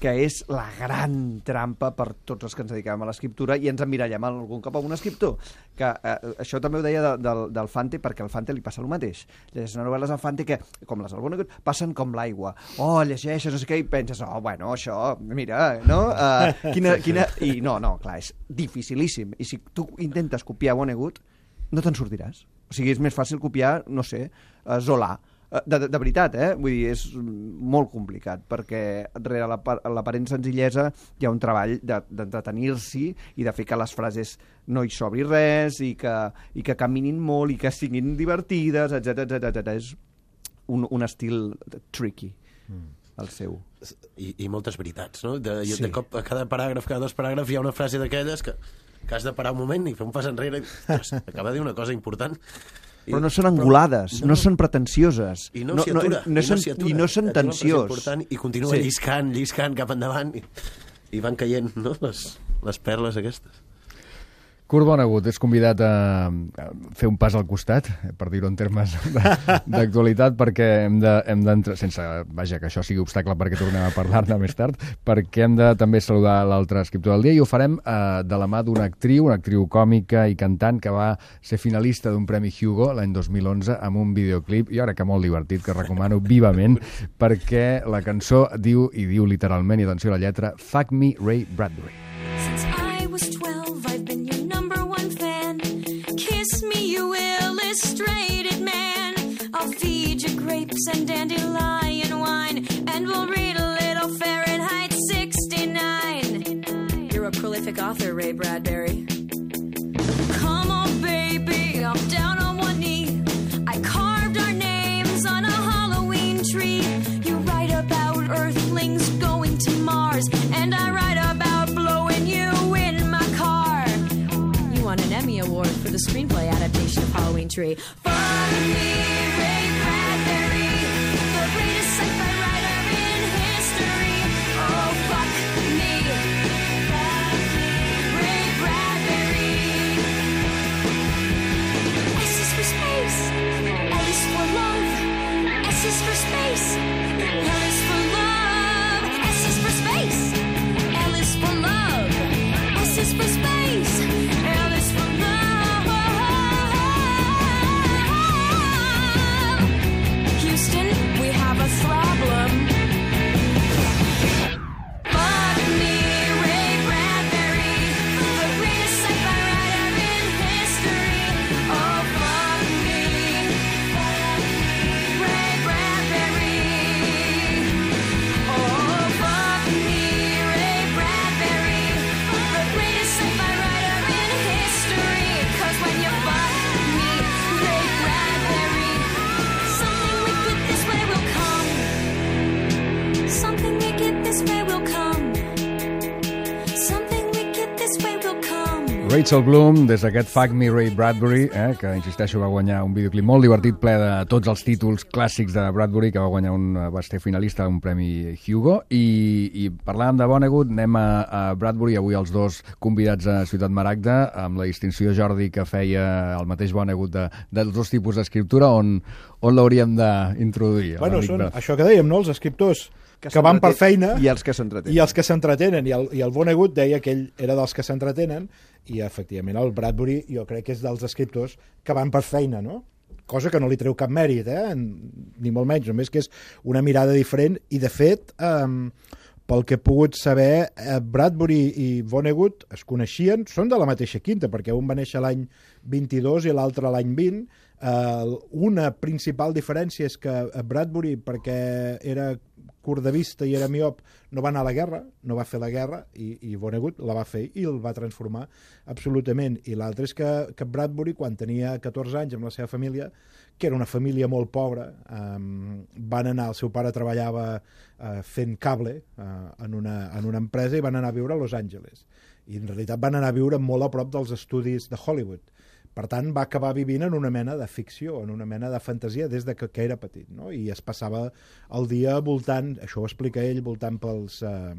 Speaker 4: que és la gran trampa per tots els que ens dediquem a l'escriptura i ens emmirallem algun cop a un escriptor. Que, eh, això també ho deia de, del, del Fante, perquè al Fante li passa el mateix. Llegeixes unes novel·les al Fante que, com les del Vonnegut, passen com l'aigua. Oh, llegeixes, no sé què, i penses, oh, bueno, això, mira, no? Uh, quina, quina... I no, no, clar, és dificilíssim. I si tu intentes copiar Vonnegut, no te'n sortiràs. O sigui, és més fàcil copiar, no sé, uh, Zola. De, de, de veritat, eh? Vull dir, és molt complicat, perquè rere l'aparent senzillesa hi ha un treball d'entretenir-s'hi i de fer que les frases no hi sobri res i que, i que caminin molt i que siguin divertides, etcètera etcètera. És un, un estil tricky, mm. el seu.
Speaker 6: I, i moltes veritats, no? De,
Speaker 5: Sí.
Speaker 6: de cop, a cada paràgraf, cada dos paràgrafs hi ha una frase d'aquelles que, que has de parar un moment i fer un pas enrere i, ostres, acaba de dir una cosa important.
Speaker 4: Però no són angulades, no, no són pretensioses.
Speaker 6: I no, no s'hi atura.
Speaker 4: No, no, no, són, I no són tensiós.
Speaker 6: I continua
Speaker 4: Sí.
Speaker 6: lliscant, lliscant cap endavant i, i van caient, no?, les, les perles aquestes.
Speaker 1: Kurt Vonnegut és convidat a fer un pas al costat, per dir-ho en termes d'actualitat, perquè hem de, hem d'entrar, sense, vaja, que això sigui obstacle perquè tornem a parlar-ne més tard, perquè hem de també saludar l'altre escriptor del dia i ho farem eh, de la mà d'una actriu, una actriu còmica i cantant que va ser finalista d'un Premi Hugo l'any dos mil onze amb un videoclip, i ara que molt divertit, que recomano vivament, perquè la cançó diu, i diu literalment, i atenció a la lletra, Fuck Me, Ray Bradbury.
Speaker 10: Since I was twelve, I've been your number one fan. Kiss me, you illustrated man. I'll feed you grapes and dandelion wine, and we'll read a little Fahrenheit sixty-nine. You're a prolific author, Ray Bradbury. Come on, baby, I'm down on one knee. I carved our names on a Halloween tree. You write about Earthlings going to Mars, and I write about blowing you in my car. You won an Emmy Award for the screenplay adaptation of Halloween Tree. Fuck me, Ray Bradbury, the greatest sci-fi writer in history. Oh, fuck me, Ray Bradbury. S is for space, L is for love, S is for space, L is for love, S is for space, L is for love, S is for space, L is for love. Houston, we have a problem. Fuck me, Ray Bradbury, the greatest sci-fi writer in history. Oh, fuck me, Ray Bradbury. Oh, fuck me, Ray Bradbury, the greatest sci-fi writer in history. 'Cause when you fuck me, Ray Bradbury, something wicked this way will come. Something wicked this way will come. Something wicked this way will come.
Speaker 1: Rachel Bloom, des d'aquest Fuck Me Ray Bradbury, eh, que, insisteixo, va guanyar un videoclip molt divertit, ple de tots els títols clàssics de Bradbury, que va guanyar un, va ser finalista d'un Premi Hugo, i, i parlàvem de Vonnegut, anem a, a Bradbury, avui els dos convidats a Ciutat Maragda, amb la distinció, Jordi, que feia el mateix Vonnegut de, dels dos tipus d'escriptura, on, on l'hauríem d'introduir?
Speaker 5: Bueno, són això que dèiem, no?, els escriptors que, que van per feina
Speaker 4: i els que s'entretenen.
Speaker 5: I els que s'entretenen. I el, i el Vonnegut deia que ell era dels que s'entretenen i, efectivament, el Bradbury jo crec que és dels escriptors que van per feina, no? Cosa que no li treu cap mèrit, eh? Ni molt menys, només que és una mirada diferent i, de fet, eh, pel que he pogut saber, eh, Bradbury i Vonnegut es coneixien, són de la mateixa quinta, perquè un va néixer l'any vint-i-dos i l'altre l'any vint. Uh, una principal diferència és que Bradbury, perquè era curt de vista i era miop, no va anar a la guerra, no va fer la guerra, i, i Vonnegut la va fer i el va transformar absolutament. I l'altre és que, que Bradbury, quan tenia catorze anys amb la seva família, que era una família molt pobra, um, van anar, el seu pare treballava uh, fent cable uh, en, una, en una empresa i van anar a viure a Los Angeles. I en realitat van anar a viure molt a prop dels estudis de Hollywood. Per tant, va acabar vivint en una mena de ficció, en una mena de fantasia des de que, que era petit, no? I es passava el dia voltant, això ho explica ell, voltant pels, eh,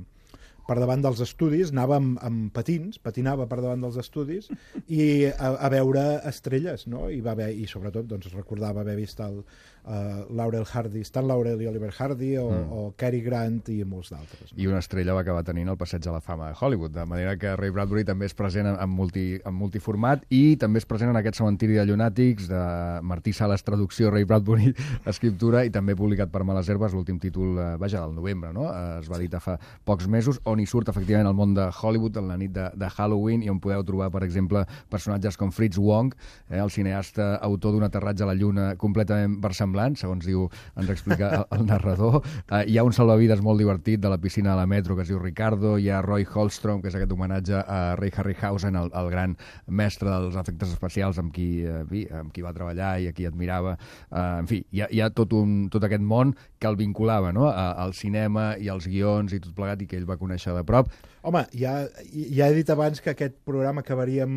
Speaker 5: per davant dels estudis, anava amb, amb patins, patinava per davant dels estudis i a, a veure estrelles, no? I, va haver, i sobretot doncs, recordava haver vist el uh, Laurel Hardy, Stan Laurel i Oliver Hardy, o, mm. o Cary Grant i molts d'altres. No?
Speaker 1: I una estrella va acabar tenint el passeig a la fama de Hollywood, de manera que Ray Bradbury també és present en, en, multi, en multiformat i també és present en aquest cementiri de llunàtics de Martí Sales, traducció, Ray Bradbury, escriptura, i també publicat per Males Herbes, l'últim títol, eh, vaja, del novembre, no? Eh, es va editar fa pocs mesos, on hi surt efectivament el món de Hollywood en la nit de, de Halloween, i on podeu trobar, per exemple, personatges com Fritz Wong, eh, el cineasta autor d'un aterratge a la Lluna completament versemblant, segons diu, ens explica el, el narrador. Eh, hi ha un salvavides molt divertit de la piscina de la metro que es diu Ricardo, hi ha Roy Holstrom, que és aquest homenatge a Ray Harryhausen, el, el gran mestre dels efectes especials amb qui, eh, vi, amb qui va treballar i a qui admirava. Eh, en fi, hi ha, hi ha tot, un, tot aquest món que el vinculava, no?, a, al cinema i als guions i tot plegat, i que ell va conèixer de prop.
Speaker 5: Home, ja, ja he dit abans que aquest programa acabaríem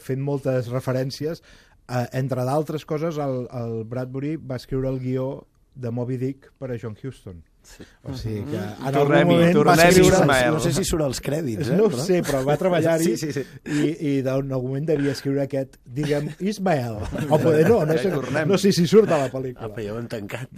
Speaker 5: fent moltes referències. Eh, entre d'altres coses, el, el Bradbury va escriure el guió de Moby Dick per a John Huston. Sí. O sigui que en algun moment va escriure...
Speaker 6: No sé si surt als crèdits, eh?
Speaker 5: No ho sé, però va treballar-hi,
Speaker 6: sí, sí, sí.
Speaker 5: i, i en algun moment devia escriure aquest, diguem, Ismael. O poder no, no sé, no sé si surt a la pel·lícula.
Speaker 6: Apa, ja ho hem tancat.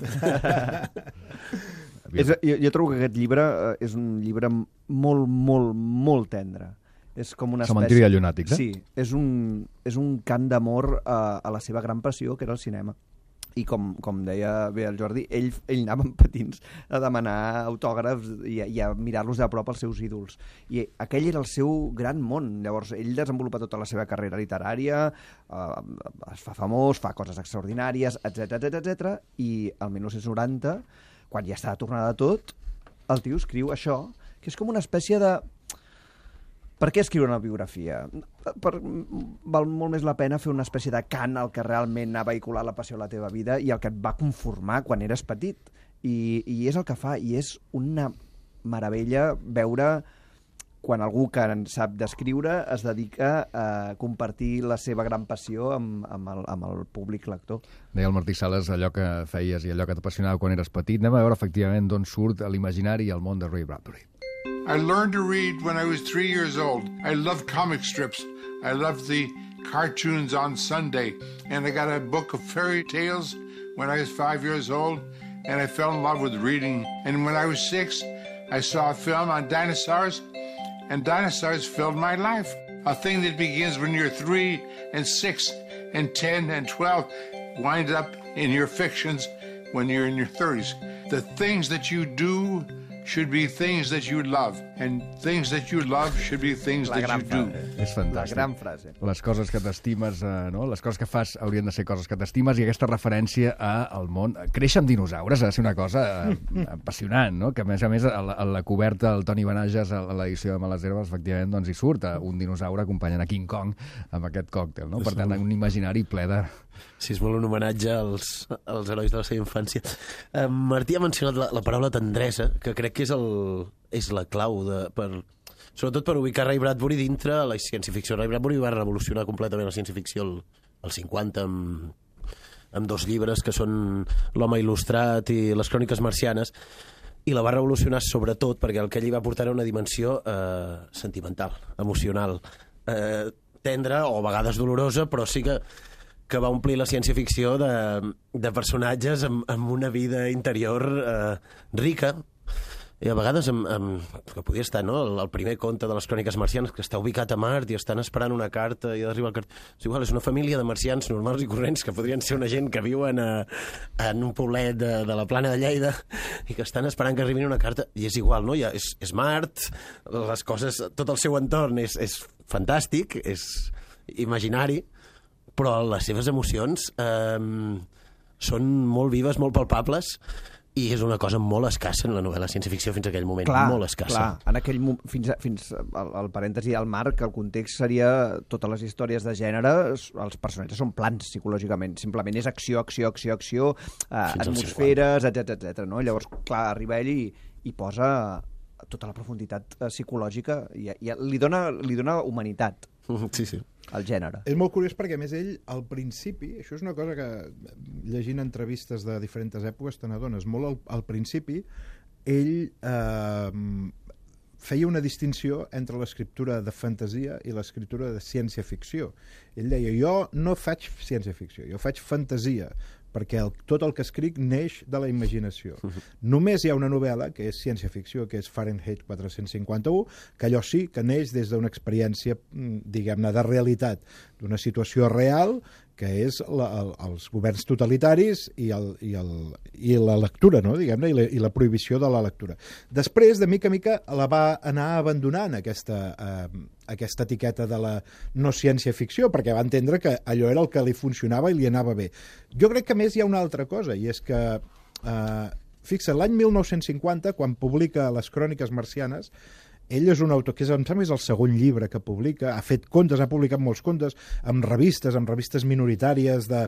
Speaker 4: És, jo, jo trobo que aquest llibre eh, és un llibre molt, molt, molt tendre. És com una espècie...
Speaker 1: Cementiri de llunàtics, eh?
Speaker 4: Sí, és un, és un cant d'amor a, a la seva gran passió, que era el cinema. I com, com deia bé el Jordi, ell, ell anava amb patins a demanar autògrafs i, i a mirar-los de prop als seus ídols. I aquell era el seu gran món. Llavors, ell desenvolupa tota la seva carrera literària, eh, es fa famós, fa coses extraordinàries, etcètera, etcètera, etcètera, i el mil nou-cents noranta, quan ja està tornada tot, el tio escriu això, que és com una espècie de... Per què escriure una biografia? Per... Val molt més la pena fer una espècie de cant al que realment ha vehiculat la passió de la teva vida i el que et va conformar quan eres petit. I, i és el que fa, i és una meravella veure quan algú que en sap d'escriure es dedica a compartir la seva gran passió amb, amb, el, amb el públic lector.
Speaker 1: Deia el Martí Sales, allò que feies i allò que t'apassionava quan eres petit. Anem a veure efectivament d'on surt l'imaginari i el món de Ray Bradbury.
Speaker 11: I learned to read when I was three years old. I loved comic strips. I loved the cartoons on Sunday. And I got a book of fairy tales when I was five years old. And I fell in love with reading. And when I was six, I saw a film on dinosaurs. And dinosaurs filled my life. A thing that begins when you're three and six and ten and twelve wind up in your fictions when you're in your thirties. The things that you do should be things that you love, and things that you love should be things that you do.
Speaker 1: És fantàstic.
Speaker 4: La gran frase.
Speaker 1: Les coses que t'estimes, eh, no? Les coses que fas haurien de ser coses que t'estimes, i aquesta referència al món. Créixer amb dinosaures ha de ser una cosa eh, apassionant, no? Que a més a més a la, a la coberta del Toni Benages a l'edició de Males Herbes, efectivament, doncs hi surt eh, un dinosaure acompanyant a King Kong amb aquest còctel, no? Per tant, un imaginari ple de...
Speaker 6: Sí, és molt un homenatge als, als herois de la seva infància. Eh, Martí ha mencionat la, la paraula tendresa, que crec que és, el, és la clau de, per, sobretot per ubicar Ray Bradbury dintre la ciència-ficció. Ray Bradbury va revolucionar completament la ciència-ficció al, al cinquanta amb, amb dos llibres que són L'home il·lustrat i Les cròniques marcianes, i la va revolucionar sobretot perquè el que ell hi va portar era una dimensió eh, sentimental, emocional, eh, tendra o a vegades dolorosa, però sí que que va omplir la ciència-ficció de, de personatges amb, amb una vida interior eh, rica, i a vegades amb, amb, que podia estar, no?, el, el primer conte de les cròniques marcianes, que està ubicat a Mart i estan esperant una carta i arriba el cart... És igual, és una família de marcians normals i corrents que podrien ser una gent que viuen a, en un poblet de, de la Plana de Lleida i que estan esperant que arribin una carta, i és igual, no? Ja és, és Mart, les coses, tot el seu entorn és, és fantàstic, és imaginari, però les seves emocions eh, són molt vives, molt palpables, i és una cosa molt escassa en la novel·la ciència-ficció fins a aquell moment,
Speaker 4: clar,
Speaker 6: molt escassa.
Speaker 4: Clar, en aquell moment, fins, a, fins al, al parèntesi al marc, el context seria totes les històries de gènere, els personatges són plans psicològicament, simplement és acció, acció, acció, acció, eh, atmosferes, etcètera, etcètera, no? Llavors, clar, arriba ell i, i posa tota la profunditat eh, psicològica i, i li, dona, li dona humanitat.
Speaker 6: Sí, sí.
Speaker 4: El gènere.
Speaker 5: És molt curiós perquè, a més, ell, al principi, això és una cosa que, llegint entrevistes de diferents èpoques, te n'adones, molt al, al principi, ell eh, feia una distinció entre l'escriptura de fantasia i l'escriptura de ciència-ficció. Ell deia, jo no faig ciència-ficció, jo faig fantasia, perquè el, tot el que escric neix de la imaginació. Uh-huh. Només hi ha una novel·la, que és ciència-ficció, que és Fahrenheit quatre cents cinquanta-u, que allò sí que neix des d'una experiència, diguem-ne, de realitat, d'una situació real, que és la, el, els governs totalitaris i, el, i, el, i la lectura, no? Diguem-ne, i, la, i la prohibició de la lectura. Després, de mica a mica, la va anar abandonant, aquesta, eh, aquesta etiqueta de la no ciència-ficció, perquè va entendre que allò era el que li funcionava i li anava bé. Jo crec que, a més, hi ha una altra cosa, i és que, eh, fixa't, l'any mil nou-cents cinquanta, quan publica les Cròniques marcianes, ell és un autor que és, em sembla, és el segon llibre que publica, ha fet contes, ha publicat molts contes, amb revistes, amb revistes minoritàries, de,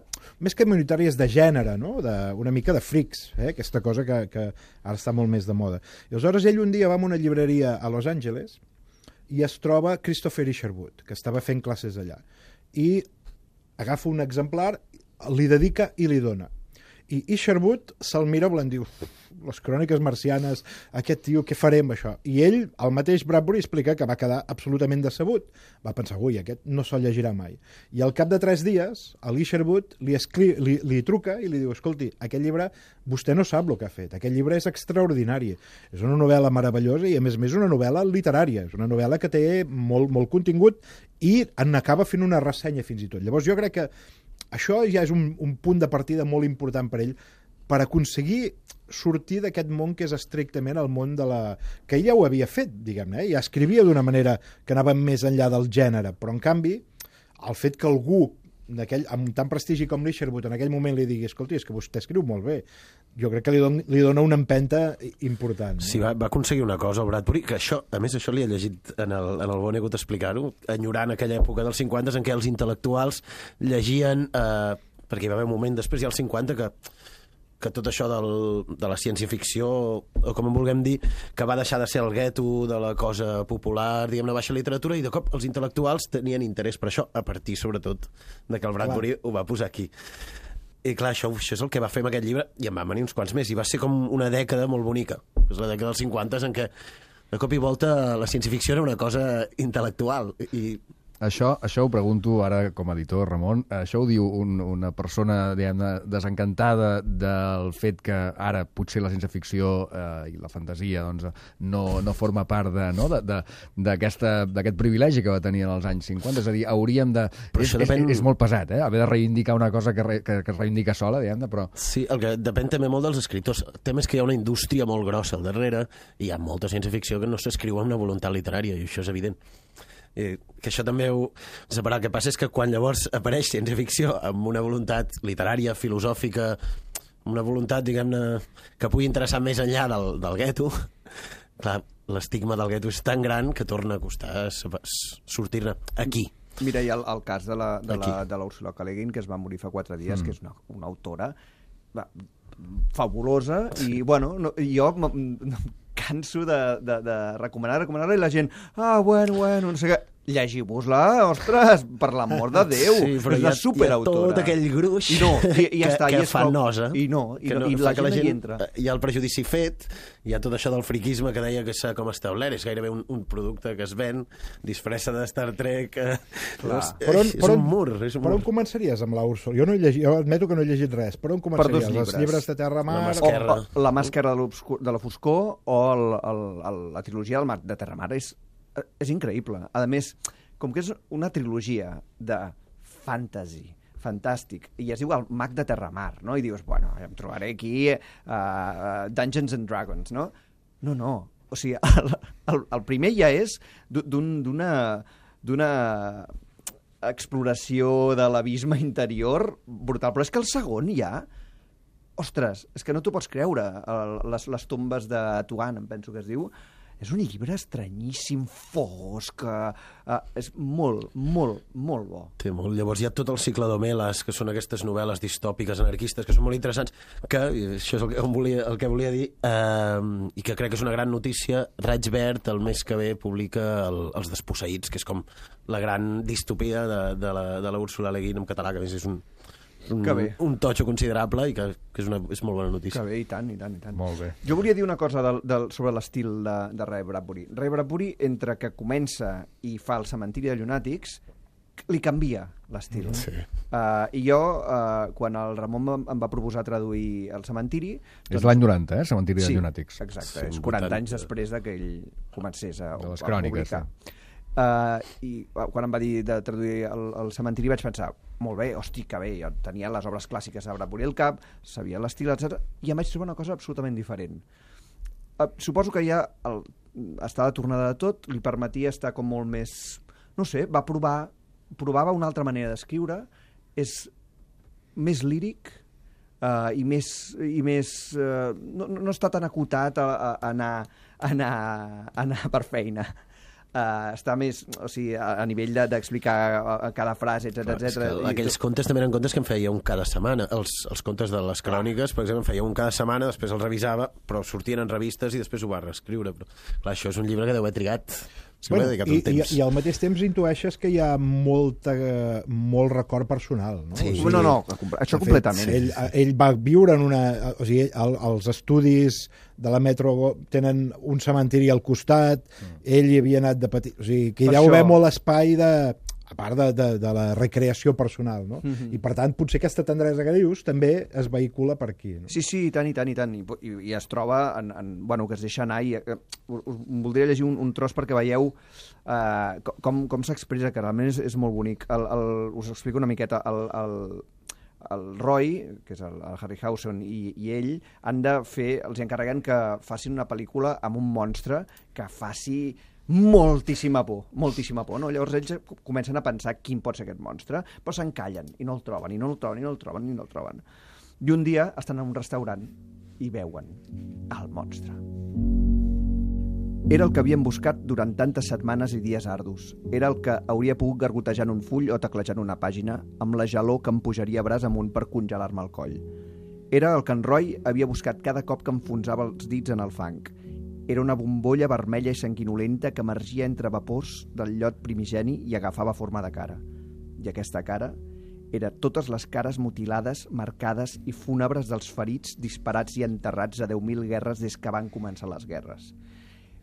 Speaker 5: més que minoritàries de gènere, no? De, una mica de frics, eh? Aquesta cosa que, que ara està molt més de moda. I aleshores ell un dia va a una llibreria a Los Angeles i es troba Christopher Isherwood, que estava fent classes allà. I agafa un exemplar, li dedica i li dona. I Isherwood se'l mira volent dir, les Cròniques marcianes, aquest tio, què farem, això? I ell, el mateix Bradbury, explica que va quedar absolutament decebut. Va pensar, ui, aquest no se'l llegirà mai. I al cap de tres dies, l'Isherwood li, escri... li, li truca i li diu, escolti, aquest llibre, vostè no sap el que ha fet, aquest llibre és extraordinari. És una novel·la meravellosa i, a més a més, una novel·la literària. És una novel·la que té molt, molt contingut i en acaba fent una ressenya fins i tot. Llavors, jo crec que això ja és un, un punt de partida molt important per ell, per aconseguir sortir d'aquest món que és estrictament el món de la... que ell ja ho havia fet, diguem-ne, eh? Ja escrivia d'una manera que anava més enllà del gènere, però en canvi, el fet que algú amb tant prestigi com l'Isherwood en aquell moment li digui, escolti, és que vostè escriu molt bé, jo crec que li, don, li dona una empenta important.
Speaker 6: Sí, va, va aconseguir una cosa, el Bradbury, que això, a més, això li he llegit en el, en el Vonnegut explicar-ho, enyorant aquella època dels cinquanta en què els intel·lectuals llegien, eh, perquè hi va haver un moment després, ja als cinquanta, que que tot això del, de la ciència-ficció, o com en vulguem dir, que va deixar de ser el gueto de la cosa popular, diguem-ne, baixa literatura, i de cop els intel·lectuals tenien interès per això, a partir, sobretot, de que el Bradbury clar. Ho va posar aquí. I clar, això, això és el que va fer amb aquest llibre, i en van venir uns quants més, i va ser com una dècada molt bonica. És la dècada dels cinquanta en què, de cop i volta, la ciència-ficció era una cosa intel·lectual, i
Speaker 1: Això, això ho pregunto ara com a editor, Ramon. Això ho diu un, una persona, diguem-ne, desencantada del fet que ara potser la ciència-ficció eh, i la fantasia doncs, no, no forma part de, no, d'aquest privilegi que va tenir en els anys cinquanta. És a dir, hauríem de... És, depèn... és, és molt pesat, eh? Haver de reivindicar una cosa que, re, que, que es reivindica sola, diguem-ne, però...
Speaker 6: Sí, el que depèn també molt dels escriptors. El tema és que hi ha una indústria molt grossa al darrere i hi ha molta ciència-ficció que no s'escriu amb una voluntat literària, i això és evident. Eh, que això també ho... El que passa és que quan llavors apareix ciència-ficció amb una voluntat literària, filosòfica, una voluntat, diguem-ne, que pugui interessar més enllà del, del gueto, clar, l'estigma del gueto és tan gran que torna a costar sortir-ne aquí.
Speaker 4: Mira, hi ha el, el cas de la, de, la, de la Ursula K. Le Guin, que es va morir fa quatre dies, mm. que és una, una autora va, fabulosa, i, bueno, no, jo... canso de, de, de recomanar, recomanar-la, i la gent, ah, bueno, bueno, no sé què, llegiu-vos-la, ostres, per l'amor de Déu, sí, és una superautora.
Speaker 6: Tot aquell gruix
Speaker 4: I no, i, i ja
Speaker 6: que,
Speaker 4: està,
Speaker 6: que
Speaker 4: i
Speaker 6: fa
Speaker 4: prou,
Speaker 6: nosa.
Speaker 4: I no, i, no, i la, gent la gent hi entra.
Speaker 6: Hi ha el prejudici fet, hi ha tot això del friquisme que deia que s'ha com establert, és gairebé un, un producte que es ven, disfressa de Star Trek, eh, és,
Speaker 5: per on,
Speaker 6: és,
Speaker 5: per on,
Speaker 6: un mur. És un
Speaker 5: per
Speaker 6: mur.
Speaker 5: on començaries amb la Úrsula? Jo, no he llegit, jo admeto que no he llegit res, per on començaries? Per els llibres de Terramar?
Speaker 6: La Masquerra,
Speaker 4: o, o, la Màscara de, de la foscor o el, el, el, la trilogia del mar de Terramar és, és increïble. A més, com que és una trilogia de fantasy, fantàstic, i es diu el mag de Terramar, no? I dius, bueno, em trobaré aquí uh, Dungeons and Dragons, no? No, no. O sigui, el, el, el primer ja és d'una... d'una exploració de l'abisme interior brutal. Però és que el segon ja... Ostres, és que no t'ho pots creure. El, les, les tombes de Tuan, em penso que es diu. És un llibre estranyíssim, fosc, uh, és molt, molt, molt bo.
Speaker 6: Té molt. Llavors hi ha tot el cicle d'Homeles, que són aquestes novel·les distòpiques, anarquistes, que són molt interessants, que, això és el que volia, el que volia dir, eh, i que crec que és una gran notícia, Raig Verd el mes que ve publica el, Els desposseïts, que és com la gran distopia de, de, la, de la Úrsula Le Guin en català, que a més és un... Un, un totxo considerable i que, que és, una, és molt bona notícia.
Speaker 4: Que bé, i tant, i tant, i tant.
Speaker 1: Molt bé.
Speaker 4: Jo volia dir una cosa del, del, sobre l'estil de, de Ray Bradbury. Ray Bradbury, entre que comença i fa el cementiri de llunàtics, li canvia l'estil.
Speaker 6: Sí.
Speaker 4: Uh, I jo, uh, quan el Ramon em, em va proposar traduir el cementiri...
Speaker 1: És l'any noranta, eh, cementiri de
Speaker 4: sí,
Speaker 1: llunàtics.
Speaker 4: Exacte,
Speaker 6: Sí,
Speaker 4: és quaranta
Speaker 6: vuitanta.
Speaker 4: anys després de que ell comencés a,
Speaker 1: De les
Speaker 4: a
Speaker 1: cròniques,
Speaker 4: publicar. Uh, I uh, quan em va dir de traduir el, el cementiri vaig pensar, molt bé, hosti, que bé, jo tenia les obres clàssiques de Bradbury al cap, sabia l'estil, etcètera, i em vaig trobar una cosa absolutament diferent. Uh, suposo que ja el, estar a la tornada de tot li permetia estar com molt més... No sé, va provar, provava una altra manera d'escriure, és més líric uh, i més... I més uh, no, no està tan acotat a, a, a, anar, a, anar, a anar per feina. Uh, està més, o sigui, a, a nivell d'explicar de, cada frase, etcètera, etcètera.
Speaker 6: Aquells contes també eren contes que em feia un cada setmana. Els, els contes de les cròniques, per exemple, em feia un cada setmana, després els revisava, però sortien en revistes i després ho va reescriure. Però, clar, això és un llibre que deu haver trigat... Sí,
Speaker 5: bueno,
Speaker 6: dedicat
Speaker 5: i,
Speaker 6: un temps.
Speaker 5: i, I al mateix temps intueixes que hi ha molta, molt record personal, no?
Speaker 4: Sí,
Speaker 5: o sigui,
Speaker 4: no, no, això
Speaker 5: fet,
Speaker 4: completament.
Speaker 5: Ell, ell va viure en una... O sigui, el, els estudis de la Metro tenen un cementiri al costat, mm. ell hi havia anat de petit... O sigui, que hi
Speaker 4: Per
Speaker 5: deu haver
Speaker 4: això...
Speaker 5: molt espai de... a part de, de, de la recreació personal, no?
Speaker 4: Mm-hmm.
Speaker 5: I per tant, potser aquesta tendresa que dius també es vehicula per aquí, no?
Speaker 4: Sí, sí, i tant, i tant, i tant. I, i, i es troba, en, en, bueno, que es deixa anar, i uh, us voldria llegir un, un tros perquè veieu uh, com, com s'expressa, que realment és, és molt bonic. El, el, us explico una miqueta. El, el, el Roy, que és el, el Harryhausen, i, i ell han de fer, els encarreguen que facin una pel·lícula amb un monstre que faci moltíssima por, moltíssima por, no? Llavors ells comencen a pensar quin pot ser aquest monstre, però s'encallen i no el troben, i no el troben, i no el troben, i no el troben. I un dia estan en un restaurant i veuen el monstre. Era el que havien buscat durant tantes setmanes i dies ardus. Era el que hauria pogut gargotejar en un full o teclejant una pàgina, amb la gelor que em pujaria braç amunt per congelar-me el coll. Era el que en Roy havia buscat cada cop que enfonsava els dits en el fang. Era una bombolla vermella i sanguinolenta que emergia entre vapors del llot primigeni i agafava forma de cara. I aquesta cara era totes les cares mutilades, marcades i fúnebres dels ferits disparats i enterrats a deu mil guerres des que van començar les guerres.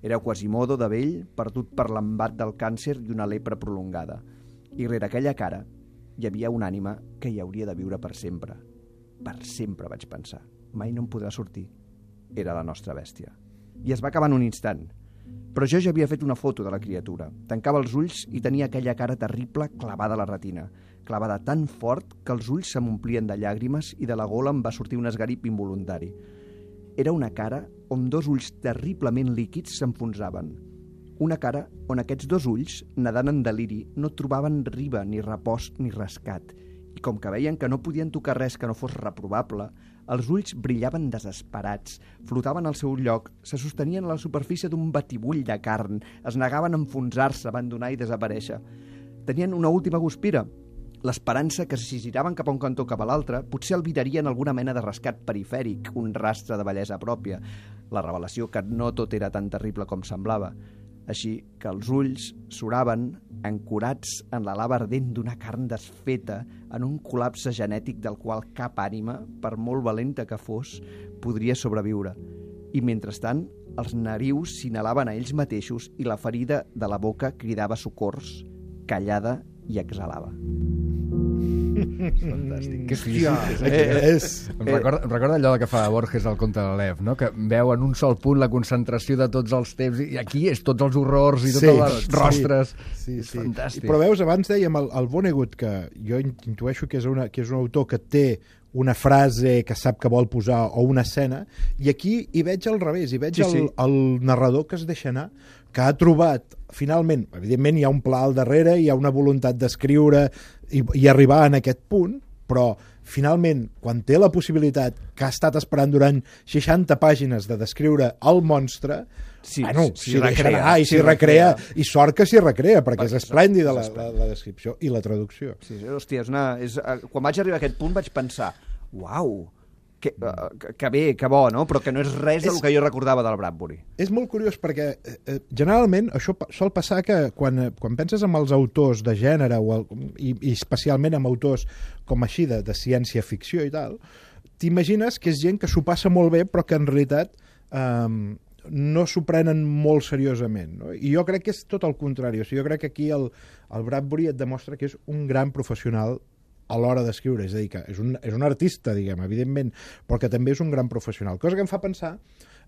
Speaker 4: Era Quasimodo de vell, perdut per l'embat del càncer i una lepra prolongada. I rere aquella cara hi havia una ànima que hi hauria de viure per sempre. Per sempre, vaig pensar. Mai no em podrà sortir. Era la nostra bèstia. I es va acabar en un instant. Però jo ja havia fet una foto de la criatura. Tancava els ulls i tenia aquella cara terrible clavada a la retina, clavada tan fort que els ulls se m'omplien de llàgrimes i de la gola em va sortir un esgarip involuntari. Era una cara on dos ulls terriblement líquids s'enfonsaven. Una cara on aquests dos ulls, nedant en deliri, no trobaven riba, ni repòs, ni rescat. I com que veien que no podien tocar res que no fos reprovable, els ulls brillaven desesperats, flotaven al seu lloc, se sostenien a la superfície d'un batibull de carn, es negaven a enfonsar-se, abandonar i desaparèixer. Tenien una última guspira, l'esperança que si giraven cap a un cantó cap a l'altre, potser albirarien alguna mena de rescat perifèric, un rastre de bellesa pròpia, la revelació que no tot era tan terrible com semblava. Així que els ulls s'oraven, ancorats en la lava ardent d'una carn desfeta, en un col·lapse genètic del qual cap ànima, per molt valenta que fos, podria sobreviure. I mentrestant, els narius s'inhalaven a ells mateixos i la ferida de la boca cridava socors, callada i exhalava.
Speaker 1: Fantàstic. Que
Speaker 4: Hòstia,
Speaker 1: físic.
Speaker 5: eh, és...
Speaker 1: Em recorda, em recorda allò que fa Borges al conte de l'Ev, no? Que veu en un sol punt la concentració de tots els temps, i aquí és tots els horrors i
Speaker 5: Sí,
Speaker 1: totes les
Speaker 5: sí,
Speaker 1: rostres.
Speaker 5: Sí,
Speaker 1: És
Speaker 5: sí.
Speaker 1: fantàstic.
Speaker 5: Però veus, abans dèiem el, el Vonnegut, que jo intueixo que és, una, que és un autor que té una frase que sap que vol posar o una escena, i aquí hi veig al revés, hi veig
Speaker 4: Sí,
Speaker 5: el,
Speaker 4: sí.
Speaker 5: el narrador que es deixa anar, que ha trobat, finalment, evidentment hi ha un pla al darrere, hi ha una voluntat d'escriure i, i arribar en aquest punt, però finalment, quan té la possibilitat que ha estat esperant durant seixanta pàgines de descriure el monstre,
Speaker 4: Sí,
Speaker 5: bueno,
Speaker 4: s'hi
Speaker 5: s'hi deixa
Speaker 4: recrea,
Speaker 5: anar i
Speaker 4: s'hi
Speaker 5: s'hi recrea,
Speaker 4: recrea.
Speaker 5: i sort que s'hi recrea, perquè és
Speaker 4: Perquè
Speaker 5: esplèndida la,
Speaker 4: és
Speaker 5: la, la descripció i la traducció.
Speaker 4: Sí, sí, hòstia, és una... És, eh, quan vaig arribar a aquest punt vaig pensar, uau, que, uh, que, que bé, que bo, no? Però que no és res del
Speaker 5: És-
Speaker 4: que jo recordava del Bradbury.
Speaker 5: És molt curiós perquè eh, eh, generalment això pa- sol passar que quan, eh, quan penses en els autors de gènere o el, i, i especialment en autors com així de, de ciència-ficció i tal, t'imagines que és gent que s'ho passa molt bé però que en realitat eh, no s'ho prenen molt seriosament, no? I jo crec que és tot el contrari. O sigui, jo crec que aquí el, el Bradbury et demostra que és un gran professional a l'hora d'escriure, és a dir, que és un, és un artista, diguem, evidentment, però que també és un gran professional. Cosa que em fa pensar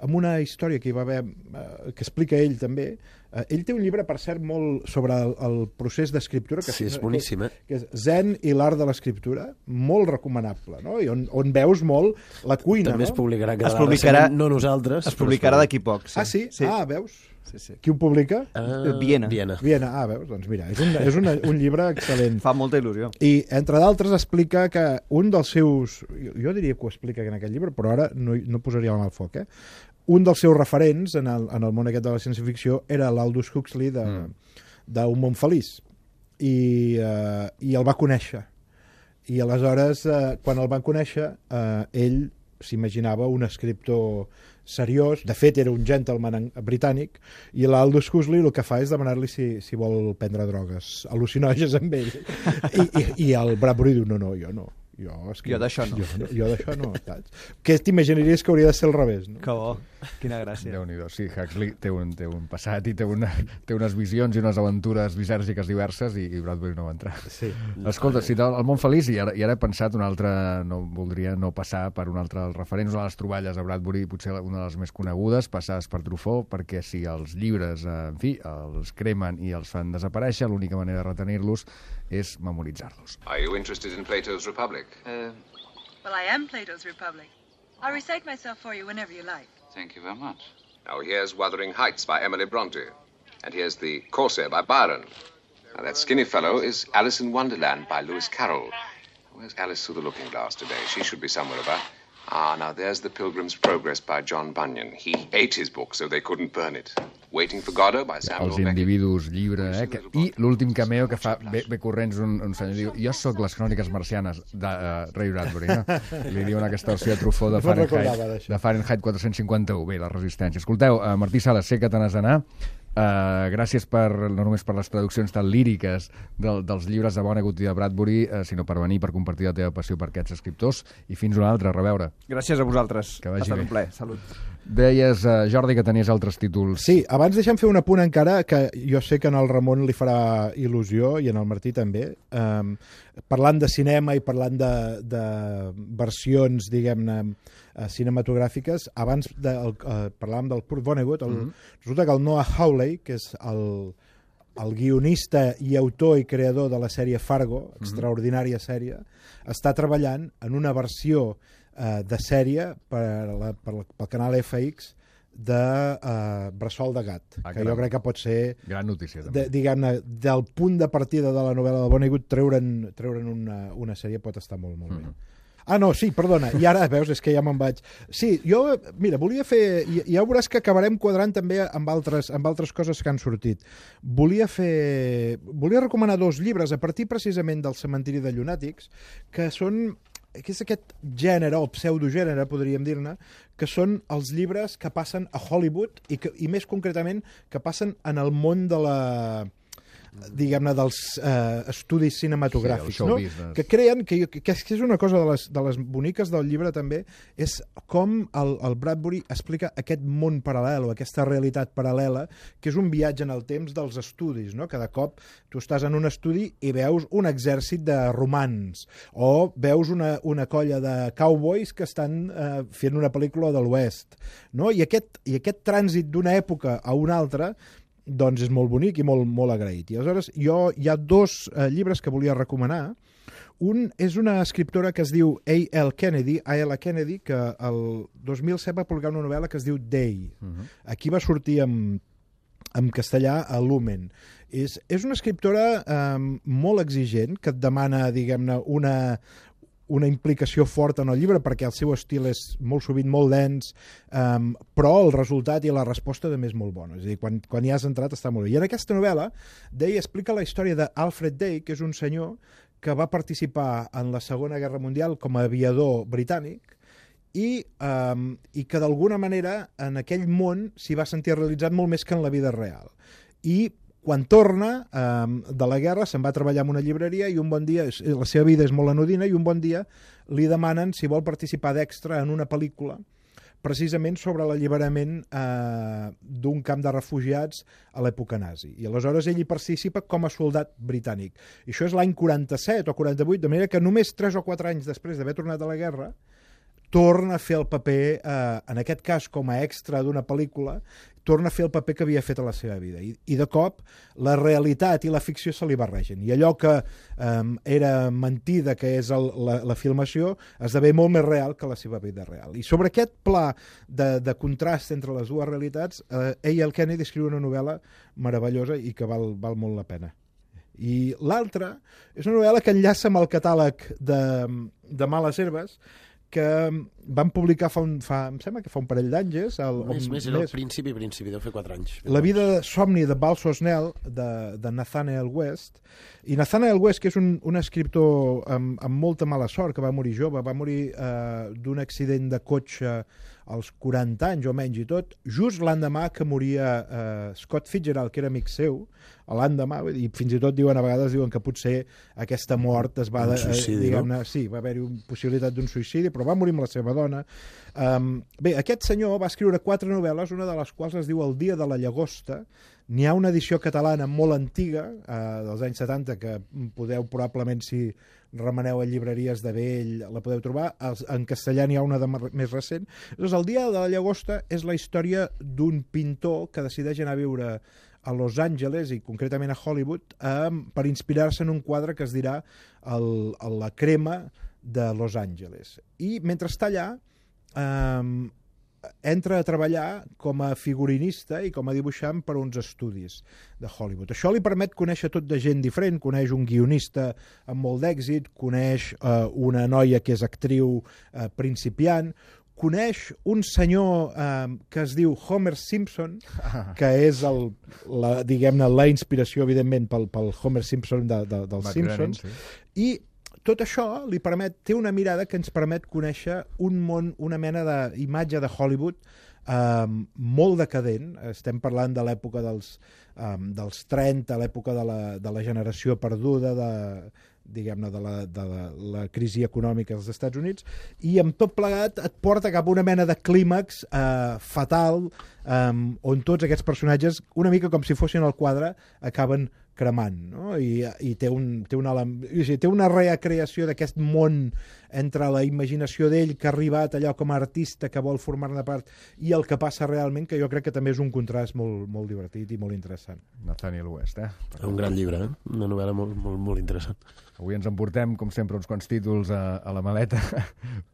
Speaker 5: en una història que hi va haver, eh, que explica ell també. Eh, ell té un llibre, per cert, molt sobre el, el procés d'escriptura, que,
Speaker 6: Sí, és boníssim, eh?
Speaker 5: que és Zen i l'art de l'escriptura, molt recomanable, no? I on, on veus molt la cuina,
Speaker 6: També
Speaker 5: no?
Speaker 6: es publicarà cada
Speaker 4: Es publicarà-
Speaker 6: no nosaltres.
Speaker 4: Es
Speaker 6: però
Speaker 4: publicarà d'aquí poc. Sí.
Speaker 5: Ah, sí?
Speaker 4: sí.
Speaker 5: Ah, veus?
Speaker 4: Sí, sí.
Speaker 5: Qui ho publica?
Speaker 6: Ah,
Speaker 4: Viena.
Speaker 6: Viena.
Speaker 5: Viena. Ah, veus? Doncs mira, és un, és una, un llibre excel·lent.
Speaker 4: Fa molta il·lusió.
Speaker 5: I, entre d'altres, explica que un dels seus... Jo, jo diria que ho explica en aquest llibre, però ara no, no posaria la mà al foc, eh? Un dels seus referents en el, en el món aquest de la ciència-ficció era l'Aldous Huxley de, mm. d'Un món feliç. I, eh, I el va conèixer. I aleshores, eh, quan el van conèixer, eh, ell s'imaginava un escriptor seriós, de fet era un gentleman en- britànic, i l'Aldous Huxley el que fa és demanar-li si, si vol prendre drogues al·lucinògens amb ell. I, i, i el Bradbury diu, no, no, jo no. Jo, escriu,
Speaker 4: Jo d'això no.
Speaker 5: Jo, no- jo d'això no, saps? Que t'imaginaries que hauria de ser al revés, no?
Speaker 4: Que bo. Quina gràcia.
Speaker 1: Déu-n'hi-do. Sí, Huxley té un, té un passat i té, una, té unes visions i unes aventures lisèrgiques diverses i, i Bradbury no va entrar.
Speaker 5: Sí.
Speaker 1: Escolta, si el, el món feliç, i ara, i ara he pensat una altra, no voldria no passar per un altre dels referents, una de les troballes a Bradbury, potser una de les més conegudes, passades per Truffaut, perquè si els llibres, eh, en fi, els cremen i els fan desaparèixer, l'única manera de retenir-los és memoritzar-los.
Speaker 12: Are you interested in Plato's Republic?
Speaker 13: Uh, well, I am Plato's Republic. I'll recite myself for you whenever you like.
Speaker 12: Thank you very much. Now here's Wuthering Heights by Emily Bronte. And here's The Corsair by Byron. Now that skinny fellow is Alice in Wonderland by Lewis Carroll. Where's Alice through the looking glass today? She should be somewhere about. Ah, now there's The Pilgrim's Progress by John Bunyan. He ate his book so they couldn't burn it. Waiting for Godot by Samuel
Speaker 1: Els
Speaker 12: Beckett.
Speaker 1: individus, llibre, eh? Que, i l'últim cameo que fa bé, bé corrents un, un senyor diu, jo sóc les cròniques marcianes de uh, Ray Bradbury, no? Li diuen aquesta versió de Truffaut de
Speaker 5: No me'n
Speaker 1: Fahrenheit,
Speaker 5: recordava d'això.
Speaker 1: de Fahrenheit quatre cents cinquanta-u. Bé, la resistència. Escolteu, uh, Martí Sales, sé que te n'has d'anar. Uh, gràcies per, no només per les traduccions tan líriques del, dels llibres de Vonnegut i de Bradbury, uh, sinó per venir, per compartir la teva passió per aquests escriptors, i fins una altra, a reveure.
Speaker 4: Gràcies a vosaltres.
Speaker 1: Que vagi
Speaker 4: ha estat
Speaker 1: bé.
Speaker 4: un plaer. Salut.
Speaker 1: Deies, uh, Jordi, que tenies altres títols.
Speaker 5: Sí, abans deixem fer un apunt encara, que jo sé que en el Ramon li farà il·lusió, i en el Martí també, um, parlant de cinema i parlant de, de versions, diguem-ne, uh, cinematogràfiques, abans de, el, uh, parlàvem del Kurt Vonnegut, el,
Speaker 1: Mhm.
Speaker 5: resulta que el Noah Hawley, que és el, el guionista i autor i creador de la sèrie Fargo, extraordinària sèrie, està treballant en una versió eh, de sèrie per la, per la, pel canal F X de uh, Bressol de Gat,
Speaker 1: Ah,
Speaker 5: que
Speaker 1: caram.
Speaker 5: jo crec que pot ser,
Speaker 1: Gran notícia, també.
Speaker 5: de, diguem-ne, del punt de partida de la novel·la de Vonnegut, treure'n, treure'n una, una sèrie pot estar molt, molt bé. Ah, no, sí, perdona, i ara, veus, és que ja me'n vaig... Sí, jo, mira, volia fer... Ja, ja veuràs que acabarem quadrant també amb altres, amb altres coses que han sortit. Volia fer... Volia recomanar dos llibres a partir precisament del Cementiri de Llunàtics, que són que és aquest gènere, o pseudogènere, podríem dir-ne, que són els llibres que passen a Hollywood i, que, i més concretament que passen en el món de la diguem-ne, dels eh, estudis cinematogràfics,
Speaker 1: Sí, el show
Speaker 5: no?
Speaker 1: business.
Speaker 5: Que creen, que, jo- que, que és una cosa de les, de les boniques del llibre també, és com el, el Bradbury explica aquest món paral·lel o aquesta realitat paral·lela, que és un viatge en el temps dels estudis, no? Cada cop tu estàs en un estudi i veus un exèrcit de romans, o veus una, una colla de cowboys que estan eh, fent una pel·lícula de l'Oest, no? I aquest, i aquest trànsit d'una època a una altra doncs és molt bonic i molt, molt agraït. I aleshores jo, hi ha dos eh, llibres que volia recomanar. Un és una escriptora que es diu A L Kennedy, A L Kennedy, que el dos mil set va publicar una novel·la que es diu Day. Uh-huh. Aquí va sortir en, en castellà a Lumen. És, és una escriptora eh, molt exigent, que et demana, diguem-ne, una, una implicació forta en el llibre, perquè el seu estil és molt sovint molt dens, um, però el resultat i la resposta també és molt bona. És a dir, quan, quan hi has entrat està molt bé. I en aquesta novel·la, Day explica la història d'Alfred Day, que és un senyor que va participar en la Segona Guerra Mundial com a aviador britànic i, um, i que d'alguna manera en aquell món s'hi va sentir realitzat molt més que en la vida real. I quan torna eh, de la guerra se'n va treballar en una llibreria i un bon dia, la seva vida és molt anodina, i un bon dia li demanen si vol participar d'extra en una pel·lícula precisament sobre l'alliberament eh, d'un camp de refugiats a l'època nazi. I aleshores ell hi participa com a soldat britànic. I això és l'any quaranta-set o quaranta-vuit, de manera que només tres o quatre anys després d'haver tornat de la guerra torna a fer el paper, eh, en aquest cas com a extra d'una pel·lícula, torna a fer el paper que havia fet a la seva vida. I, i de cop la realitat i la ficció se li barregen. I allò que eh, era mentida, que és el, la, la filmació, esdevé molt més real que la seva vida real. I sobre aquest pla de, de contrast entre les dues realitats, eh, A L Kennedy escriu una novel·la meravellosa i que val, val molt la pena. I l'altra és una novel·la que enllaça amb el catàleg de, de Males Herbes, que van publicar fa, un, fa em sembla que fa un parell d'anys.
Speaker 6: Més, més, era el principi, principi, deu fer quatre anys.
Speaker 5: La vida de somni de Balso Snell, de, de Nathanael West. I Nathanael West, que és un, un escriptor amb, amb molta mala sort, que va morir jove, va morir eh, d'un accident de cotxe als quaranta anys o menys i tot, just l'endemà que moria eh, Scott Fitzgerald, que era amic seu, l'endemà, i fins i tot diuen, a vegades diuen que potser aquesta mort es va...
Speaker 6: Un suïcidi,
Speaker 5: eh,
Speaker 6: no?
Speaker 5: Sí, va haver-hi una possibilitat d'un suïcidi, però va morir amb la seva dona. Um, bé, aquest senyor va escriure quatre novel·les, una de les quals es diu El dia de la llagosta. N'hi ha una edició catalana molt antiga, eh, dels anys setanta, que podeu probablement, si remeneu a llibreries de vell, la podeu trobar. En castellà n'hi ha una de més recent. Llavors, El dia de la llagosta és la història d'un pintor que decideix anar a viure a Los Angeles, i concretament a Hollywood, eh, per inspirar-se en un quadre que es dirà el, el, La crema de Los Angeles. I mentre està allà, eh, entra a treballar com a figurinista i com a dibuixant per a uns estudis de Hollywood. Això li permet conèixer tot de gent diferent, coneix un guionista amb molt d'èxit, coneix eh, una noia que és actriu eh, principiant, coneix un senyor eh, que es diu Homer Simpson, que és el, la, diguem-ne, la inspiració, evidentment, pel, pel Homer Simpson de, de, dels Simpsons, sí. I tot això li permet, té una mirada que ens permet conèixer un món, una mena d'imatge de Hollywood eh, molt decadent. Estem parlant de l'època dels, eh, dels trenta, l'època de la, de la generació perduda, de, diguem-ne, de, la, de la, la crisi econòmica dels Estats Units, i amb tot plegat et porta cap a una mena de clímax eh, fatal, eh, on tots aquests personatges, una mica com si fossin al quadre, acaben cremant, no? I, i té, un, té, una, té una recreació d'aquest món entre la imaginació d'ell, que ha arribat allò com a artista que vol formar-ne part, i el que passa realment, que jo crec que també és un contrast molt, molt divertit i molt interessant.
Speaker 1: Nathanael West, eh?
Speaker 6: Un gran llibre, eh? Una novel·la molt, molt, molt interessant.
Speaker 1: Avui ens emportem, com sempre, uns quants títols a, a la maleta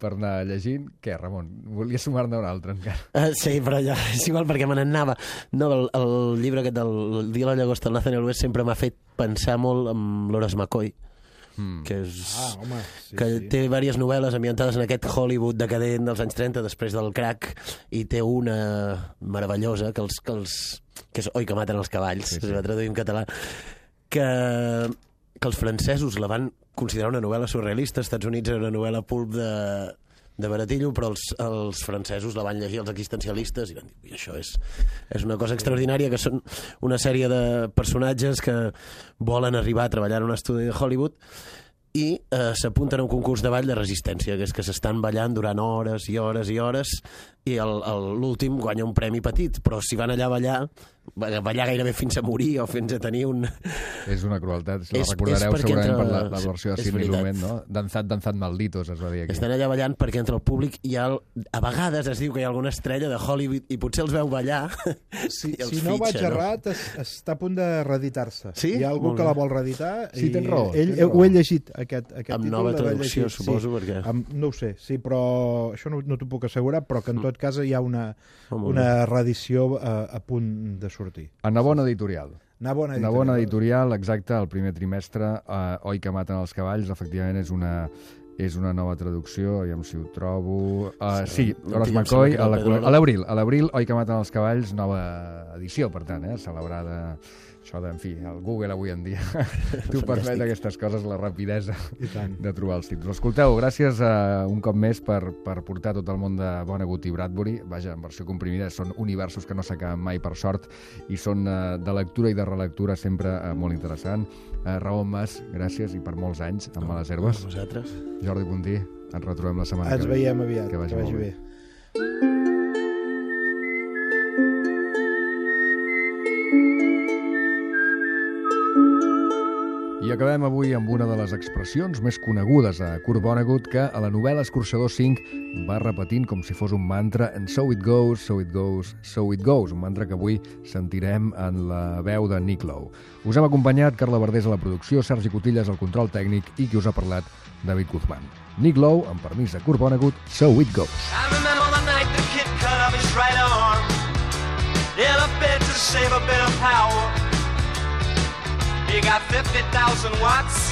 Speaker 1: per anar llegint. Què, Ramon? Volia sumar-ne un altre, encara.
Speaker 6: Uh, sí, però ja és igual, perquè me n'anava. No, el, el llibre aquest del el Dia de la llagosta del Nathanael West sempre m'ha fet pensar molt en Loras McCoy, mm. que, és,
Speaker 5: ah, home, sí,
Speaker 6: que
Speaker 5: sí.
Speaker 6: té diverses novel·les ambientades en aquest Hollywood decadent dels anys trenta, després del crack, i té una meravellosa, que els... Que, els, que és Oi que maten els cavalls, sí, sí. Es va traduir en català, que... que els francesos la van considerar una novel·la surrealista. Als Estats Units era una novel·la pulp de, de baratillo, però els, els francesos la van llegir, els existencialistes, i van dir, això és, és una cosa extraordinària, que són una sèrie de personatges que volen arribar a treballar en un estudi de Hollywood i eh, s'apunten a un concurs de ball de resistència, que és que s'estan ballant durant hores i hores i hores, i l'últim guanya un premi petit, però si van allà a ballar, ballar gairebé fins a morir o fins a tenir un...
Speaker 1: És una crueltat, la
Speaker 6: és,
Speaker 1: recordareu
Speaker 6: és
Speaker 1: segurament
Speaker 6: entre...
Speaker 1: per la, la versió de Sidney Lumet, no? Danzat, danzat malditos, es va dir aquí.
Speaker 6: Estan allà ballant perquè entre el públic hi ha... A vegades es diu que hi ha alguna estrella de Hollywood i potser els veu ballar
Speaker 5: si,
Speaker 6: i els
Speaker 5: si no
Speaker 6: fitxa,
Speaker 5: vaig errat, no? es, està a punt de reeditar-se.
Speaker 6: Sí?
Speaker 5: Hi ha algú que la vol reeditar
Speaker 1: sí,
Speaker 5: i
Speaker 1: tens raó,
Speaker 5: ell,
Speaker 1: tens raó.
Speaker 5: ho he llegit, aquest, aquest
Speaker 6: amb
Speaker 5: títol...
Speaker 6: nova
Speaker 5: l'he
Speaker 6: traducció,
Speaker 5: llegit,
Speaker 6: suposo,
Speaker 5: sí,
Speaker 6: perquè...
Speaker 5: amb, no ho sé, sí, però això no, no t'ho puc assegurar, però que en tot cas hi ha una,
Speaker 6: Oh,
Speaker 5: una reedició a, a punt de sortir.
Speaker 1: A Navona Editorial.
Speaker 5: Navona Editorial.
Speaker 1: Navona Editorial, exacte, el primer trimestre, eh, Oi que maten els cavalls, efectivament és una... és una nova traducció, aviam si ho trobo... Uh, sí, Horace McCoy, a la- a l'abril, a l'abril, Oi que maten els cavalls, nova edició, per tant, eh, celebrada... Això de, en fi, el Google avui en dia t'ho permet aquestes coses, la rapidesa de trobar els títols. Escolteu, gràcies uh, un cop més per, per portar tot el món de Vonnegut i Bradbury. Vaja, en versió comprimida, són universos que no s'acaben mai, per sort, i són uh, de lectura i de relectura sempre uh, molt interessant. Uh, Raül Mas, gràcies, i per molts anys amb Males Herbes.
Speaker 6: A vosaltres.
Speaker 1: Jordi Puntí, ens retrobem la setmana
Speaker 5: Ens
Speaker 1: que ve.
Speaker 5: veiem aviat,
Speaker 1: Que vagi,
Speaker 5: que vagi
Speaker 1: molt
Speaker 5: bé.
Speaker 1: I acabem avui amb una de les expressions més conegudes a Kurt Vonnegut, que a la novel·la Escorxador cinc va repetint com si fos un mantra "and so it goes, so it goes, so it goes", un mantra que avui sentirem en la veu de Nick Lowe. Us hem acompanyat Carla Verdés a la producció, Sergi Cotillas al control tècnic i qui us ha parlat, David Guzmán. Nick Lowe, amb permís de Kurt Vonnegut, "So it goes".
Speaker 14: I remember the night the kid cut off his right arm in a bid to save a bit of power. He got fifty thousand watts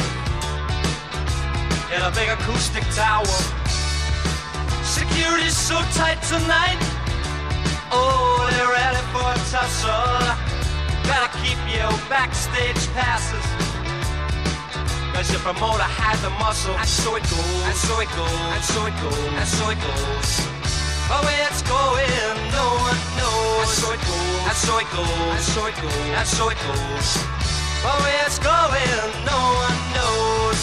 Speaker 14: in a big acoustic tower. Security's so tight tonight. Oh, they're ready for a tussle. Gotta keep your backstage passes, cause your promoter had the muscle. And so it goes, and so it goes, and so it goes, and so it goes. But where it's going, no one knows. And so it goes, and so it goes, and so it goes, and so it goes. But where it's going, no one knows.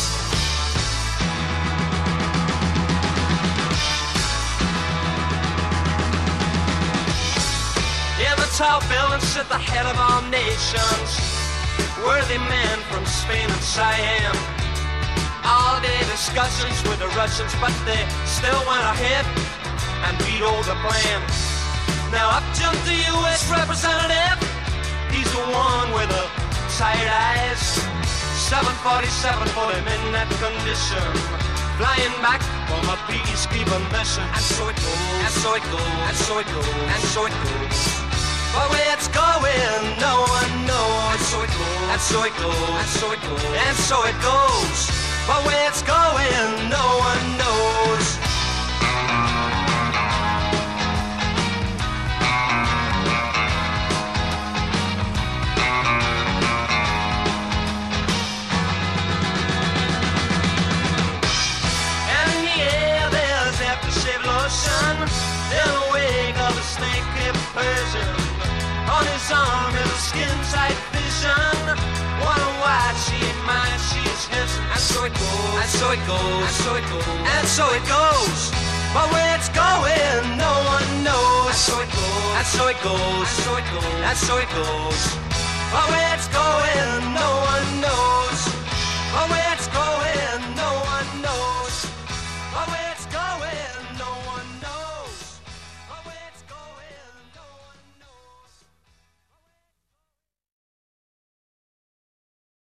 Speaker 14: In the tall building sit the head of all nations, worthy men from Spain and Siam. All day discussions with the Russians, but they still went ahead and vetoed the plan. Now up jumped the U S representative. He's the one with the tired eyes. seven forty-seven for him in that condition, flying back from a peacekeeper mission. And so it goes, and so it goes, and so it goes, and so it goes. But where it's going, no one knows. And so it goes, and so it goes, and so it goes, and so it goes. But where it's going, no one knows. In the wake of a snake-hipped Persian, on his arm is a skin-tight vision. Wanna watch, she ain't mine, she's his. And so it goes, and so it goes, and so it goes, and so it goes. But where it's going, no one knows. And so it goes, and so it goes, and so it goes, and so it goes. But where it's going, no one knows. But where